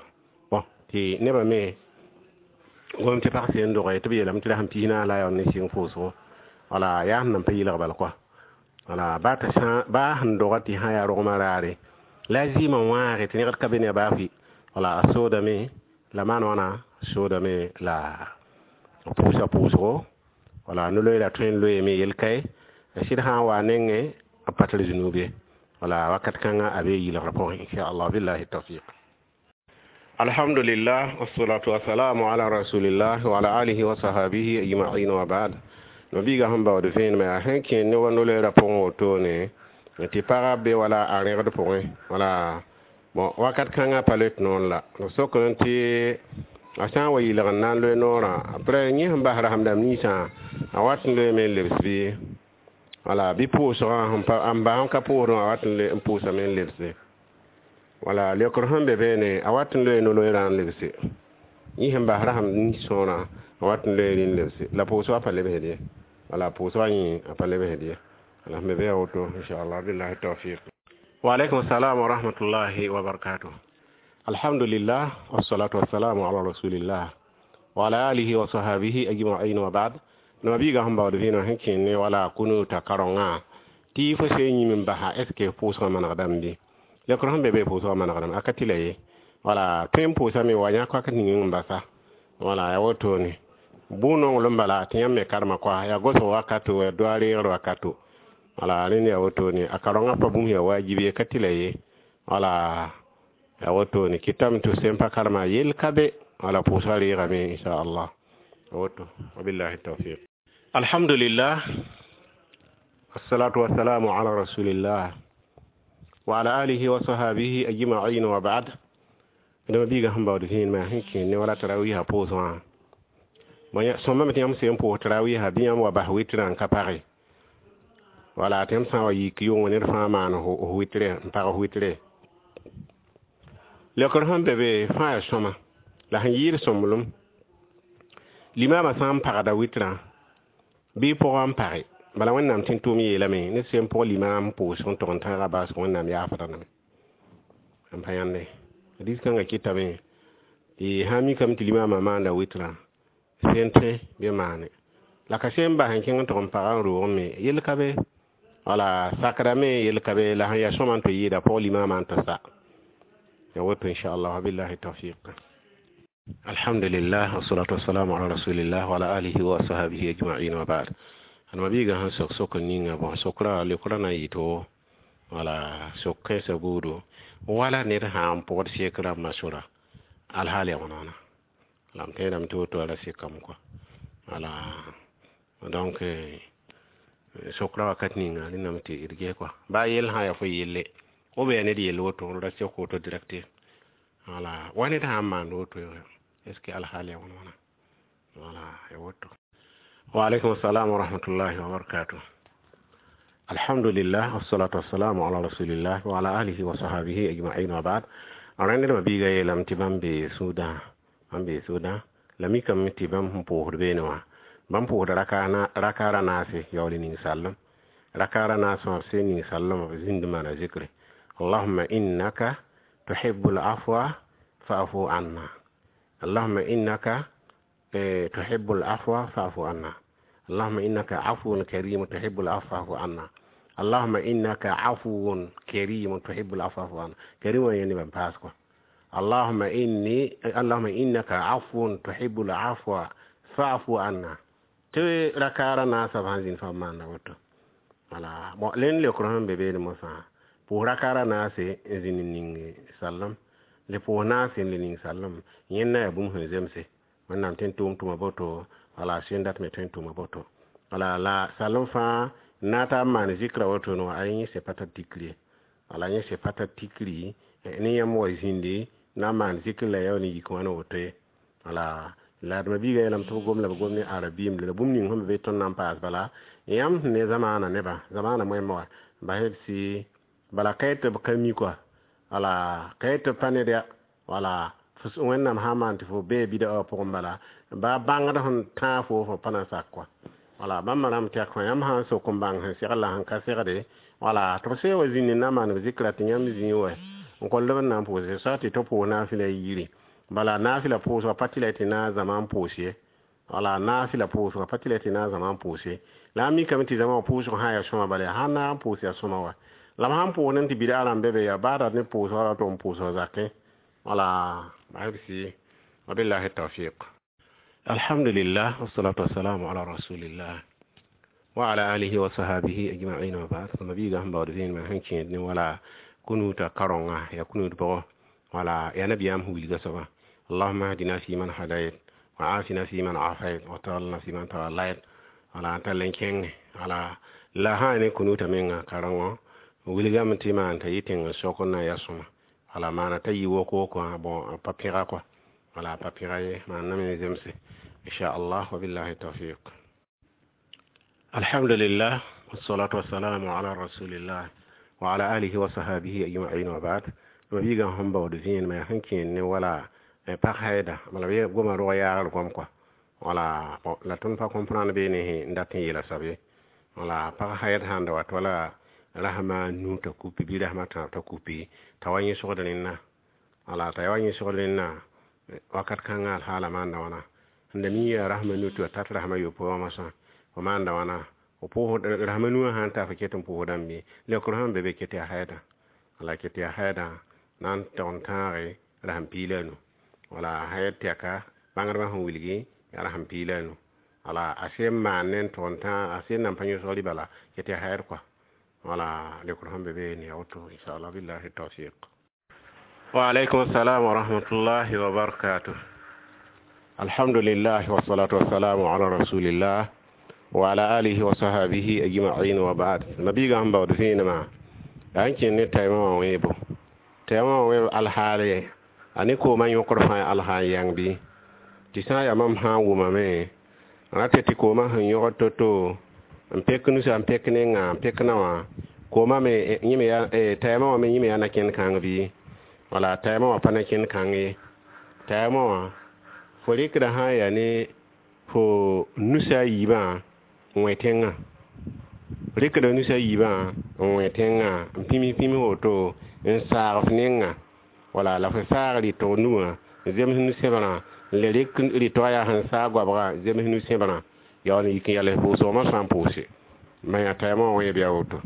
bon tɩ nebã me gom tɩ pag seen doge tɩ b yeelame tɩ rasem pis naas la a yaool ne sɩng pʋʋsgo. Wala yaa sẽn nan pa yɩlg bal kɔa. Wala baa t'a sã baa sẽn doga tɩ sã yaa rogmã raare la a zɩɩmã wãage tɩ negd ka be ne a baa fɩ. Wala a soodame la maan wãna soodame la a pʋʋsa pʋʋsgo. Wala no-loeera tõe n loeeme yel ka ye a sɩd sã n wa nengẽ a pa tar zũnub ye. Wala wakat kãngã a bee yɩlgrã pʋgẽ inchallah, billahi tawfiq. Alhamdulillah, wassalatu wassalamu ala rasulillah wa ala alihi wa sahabihi ajma'in wa ba'd. No biiga sẽn baood vẽenemã yaa sẽn kẽ ne wa no-loeerã pʋgẽ wotone tɩ pagã be wala a rẽgd pʋgẽ. Wala bon wakat kãngã pa loet noor la b sokd tɩ a sã n wa yɩlg n na n loe noorã après yẽ sẽn bas rasem dãmb ninsã a wat n loeeme n lebs bɩ wala bɩ pʋʋsgã n bas n ka pʋʋsdẽ wã a wat n pʋʋsame n lebse. Wala lekr sẽn be beene a wat n loe no-loeerã n lebse yẽ sẽn bas rasem nin-sõorã a wat n loe n lebse la pʋʋsgã pa lebsd ye. Wala pʋʋsgã yẽ a pa lebsd ye. Wala sẽn be be yaa woto inchallah, billahi tawfiq. Wa alaikum salam wa rahmatullahi wa barakatuh. Alhamdulillah, wassalatu wassalamu ala rasulillah wa ala alihi wa sahabihi ajma'in wa ba'd. No biiga sẽn baood vẽenemã sẽn kẽ ne wala kunuta karongã tɩ fo se yĩm n basa est ce que pʋʋsgã manegdame bɩ lekr sẽn be be pʋʋsgã manegdame a ka tɩ la ye. Wala tõe n pʋʋsame wa yãk wakat ning n basa. Wala yaa wotone bʋ-nonglem bala tɩ yãmb me karema koa yaa gosg wakato yaa doa reegr wakato. Wala rẽnd yaa wotone a karongã pa bũmb yaa wajib ye ka tɩ la ye. Wala yaa wotone kɩtame tɩ sẽn pa karema yel ka be. Wala pʋʋsgã reegame inchallah. Woto, wabillahi tawfiq. Alhamdulillah, wassalatu wassalamu ala rasulillah wa ala alihi wa sahabihi ajma'in, wa ba'd. Dama biiga sẽn baood vẽenemã sẽn kẽer ne wala tarawiisã pʋʋs wã, sõmame tɩ yãmb sẽn pʋʋs tarawiisã bɩ yãmb wa bas wɩtrã n ka page. Wala tɩ yãmb sã n wa yik yʋng ned fãa maan f wɩtre n pag f wɩtre. Leokr sẽn be be fãa yaa sõma la sẽn yɩɩd sõmblem. Limaamã sã n pagda wɩtrã bɩ pʋgã n page, bala Wẽnnaam tɩ tʋʋm yeelame ned sẽn pʋg limaam pʋʋsg n tog n tãagã baasg, Wẽnnaam yaafdame n pa yãnde. Diis-kãngã kɩtame tɩ sã n mikame tɩ limaamã maanda wɩtrã sẽn tõe bɩ maane la ka sẽn bas n kẽng n tog n paga n roog me yell ka be. Wala sakdame yell ka be, la sẽn yaa sõma n tɩ yɩɩda pʋg limaamã n tɩ sa ya woto, inchallah, wabillahi tawfiq. Alhamdulillah, wassalatu wassalamu ala rasulillah wa ala alihi wa ashabihi ajma'in, wa ba'd. Adma biiga sẽn sok sok ninga bõ sokra leokra na n yɩ to wala sok kãensã buudu wala ned sã n pʋgd sek rãmbã sora alhaal yaa wãna la m tẽedame tɩ woto ra sekame kɔa. Wala donc sokra wakat ninga rẽndame tɩ d ges kɔa baa yell sã n yaa fo yelle b yaa ned yell woto ra sek woto direct. Wala wa ned sã n maand woto, est ce que alhaal yaa wãna wãna? Wala ya woto. Waalaikum assalam wa rahmatullahi wa barakatuh. Alhamdulillah, wassalatu wassalamu ala rasulillah wa ala alihi wa sahbihi ajma'in, wa ba'd. Rẽnd biiga yeelame tɩ bãmb bee sũudã, bãmb bee sũudã la mikame tɩ bãmb sẽn pʋʋsd beene wã, bãmb pʋʋsda rakaara naase yaool ning sallem rakaara naas wã b sẽn ning sallem b zĩnd maana zikre: Allahumma innaka tuhibbul afwa fa'fu anna, Allahumma innaka tuhibbul afwa fa'fu anna, Allahumma innaka afuwun karim tuhibbul afwa fa'fu anna, Allahumma innaka afuwun karim tuhibbul afwa fa'fu anna. Karim wa yẽnd ban paas kɔ. Allahumma inni, Allahumma innaka afuwun tuhibbul afwa fa'fu anna. Tɩ rakaara naasã b sãn zĩnd fa b maanda woto. Wala bon len leokr sẽn be beene mosã pʋʋs rakaara naase n zĩnd n ning sallem le pʋʋs naase n le ning sallem yẽnda yaa bũmb sẽn zemse. Wẽnnaam tõe n tʋʋm tʋma boto, wala sẽn dat me tõe n tʋma boto. Wala la sallem fãa na t'a n maan zikra woto no a yẽ se pa tar tikri ye, wala yẽ se pa tar tikri ne yãmb wa zĩndi na n maan zikr la yaool n yik wãna woto ye. Wala la d ma biiga yeelame tɩ b gom la b gom ne arabiim la bũmb ning sẽn be tõnd na n paas bala yãmb sẽn ne zamaana nebã zamaana moẽmba wã basd sɩ bala ka tɩ b ka mi kɔa, wala ka tɩ b pa ned ya. Wala Wẽnnaam sã n maan tɩ fo bee bida wã pʋgẽ, bala ba bãngd sẽn tãag fo fo pa na sak kɔa. Wala bãmba rãmb tɛk fã yãmb sã n sok n bãng sẽn segl la sẽn ka segde, wala tɩ b see wa zĩnd n na n maan b zikra tɩ yãmb zĩig wɛ n kõld b n na n pʋʋse soa tɩ tɩ pʋʋs naafɩla yiri. Bala naafɩla pʋʋsgã pa tɩ la tɩ na n zãma n pʋʋs ye, wala naafɩla pʋʋsgã pa tɩ la tɩ na n zãma n pʋʋs ye. La a mikame tɩ zãma wã pʋʋsg sã n yaa sõma, bala yaa sãn na n pʋʋs yaa sõma wa la b sãn pʋʋs ne tɩ bida rãmb be be yaa baa rat ne pʋʋsgã ra tɩ n pʋʋsg zakẽ. Wala basb wabillahi tawfiq. Alhamdulillah, wassalatu wassalamu ala rasulillah wa ala alihi wa sahabihi ajma'in, wa ba'd. Mabiiga sẽn baood vẽenemã sẽn kẽed ne wala kunuta karonga ya kunut bʋgɔ, wala ya nabiyaam sẽn wilga soaba: Allahumma hdina fi man hadayt wa afina fi man afayt wa tawallana fi man tawallayt. Wala n tall n kẽnge wala la sã ne kunuta menga karengõ wilgame tɩ maan t'a yɩ tẽng sok n na n yaa sõma. Wala maana t'a yɩ wok wok wã bon pa pẽga kɔa, wala pa pẽga ye maan na me zemse, inchallah, wabillahi tawfiq. Alhamdulillah, wassalatu wassalamu ala rasulillah wa ala alihi wa sahabihi ajma'in, wa ba'd. Ma biiga sẽn baood vẽenemã yaa sẽn kẽer ne wala pag haida bala b goma rog yaagr gom kɔa. Wala bon la tõnd pa comprendre beene n dat n yeela soab ye. Wala pag haid sãn da wat wala rasma nu t'a kupi bɩ rasma tãab t'a kupi t'a wa yẽ sogd rẽnna, wala t'a wa yẽ sogd rẽnna wakat kãngã alhaala maanda wãna sẽn da mi yaa rasma nu tɩ wa tat rasma yopoe wã masã fo maanda wãna fo pʋʋs rasma nuwã sã n ta fo ket n pʋʋsdame bɩ leokr sẽn be be ket yaa haida, wala ket yaa haida na n tog n tãage rasem piig la a nu. Wala haid tɛka bãngdbã sẽn wilgi yaa rasem piig la a nu. Wala a sẽn maan ne n tog n tã a sẽn nan pa yõsg rɩ bala ket yaa haid kɔa. Wala leokr sẽn be be ne ya woto, inshallah, billahi tawfiq. Wa alaikum assalam wa rahmatullahi wa barakatuh. Alhamdulillah wassalatu wassalamu ala rasulillah wa ala alihi wa sahbihi ajma'in wa ba'd. Mabiga sẽn baood vẽenemã yaa n kẽnd ne taimã wã wẽebo. Taimã wã wẽeb alhaale a ne koomã yõkr fãa alha n yãng bɩ tɩ sã n yaa mam sã n wʋmame rata tɩ koomã sẽn yõgd to-to n pek nusa n pek nengã n pek na wã koomã me yẽ me yaa taimã wã me yẽ me yaa na-kẽnd kãng bɩ wala taimã wã pa na-kẽnd kãng ye. Taimã wã fo rɩkda sã n yaa ne fo nusa a yiibã n wẽ tẽngã, rɩkda nusa a yiibã n wẽ tẽngã n pĩms pĩms woto n saag f nengã wala la fo saag rɩtg nugã n zems nu-sẽbrã n le rɩk rɩtgã yaa sẽn saag goabgã n zems nu-sẽbrã yaool n yik n yals pʋʋsgmã sã n pʋʋse ma taimã wã wẽeb yaa woto.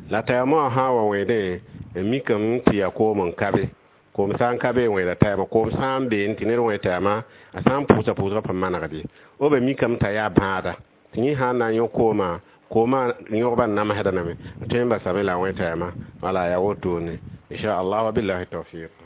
La taimã wã sã n wa wẽedẽ n mikame tɩ yaa koom n ka be, koom sã n ka be n wẽeda taimã, koom sã n beene tɩ ned wẽ taimã a sã n pʋʋsa pʋʋsgã pa manegd ye. B mikame t'a yaa bãada tɩ yẽ sã n na n yõ koomã, koomã yõgbã namsdame tõe n basame la a wẽ taimã wala yaa wotone inshallah wa billahi tawfiq.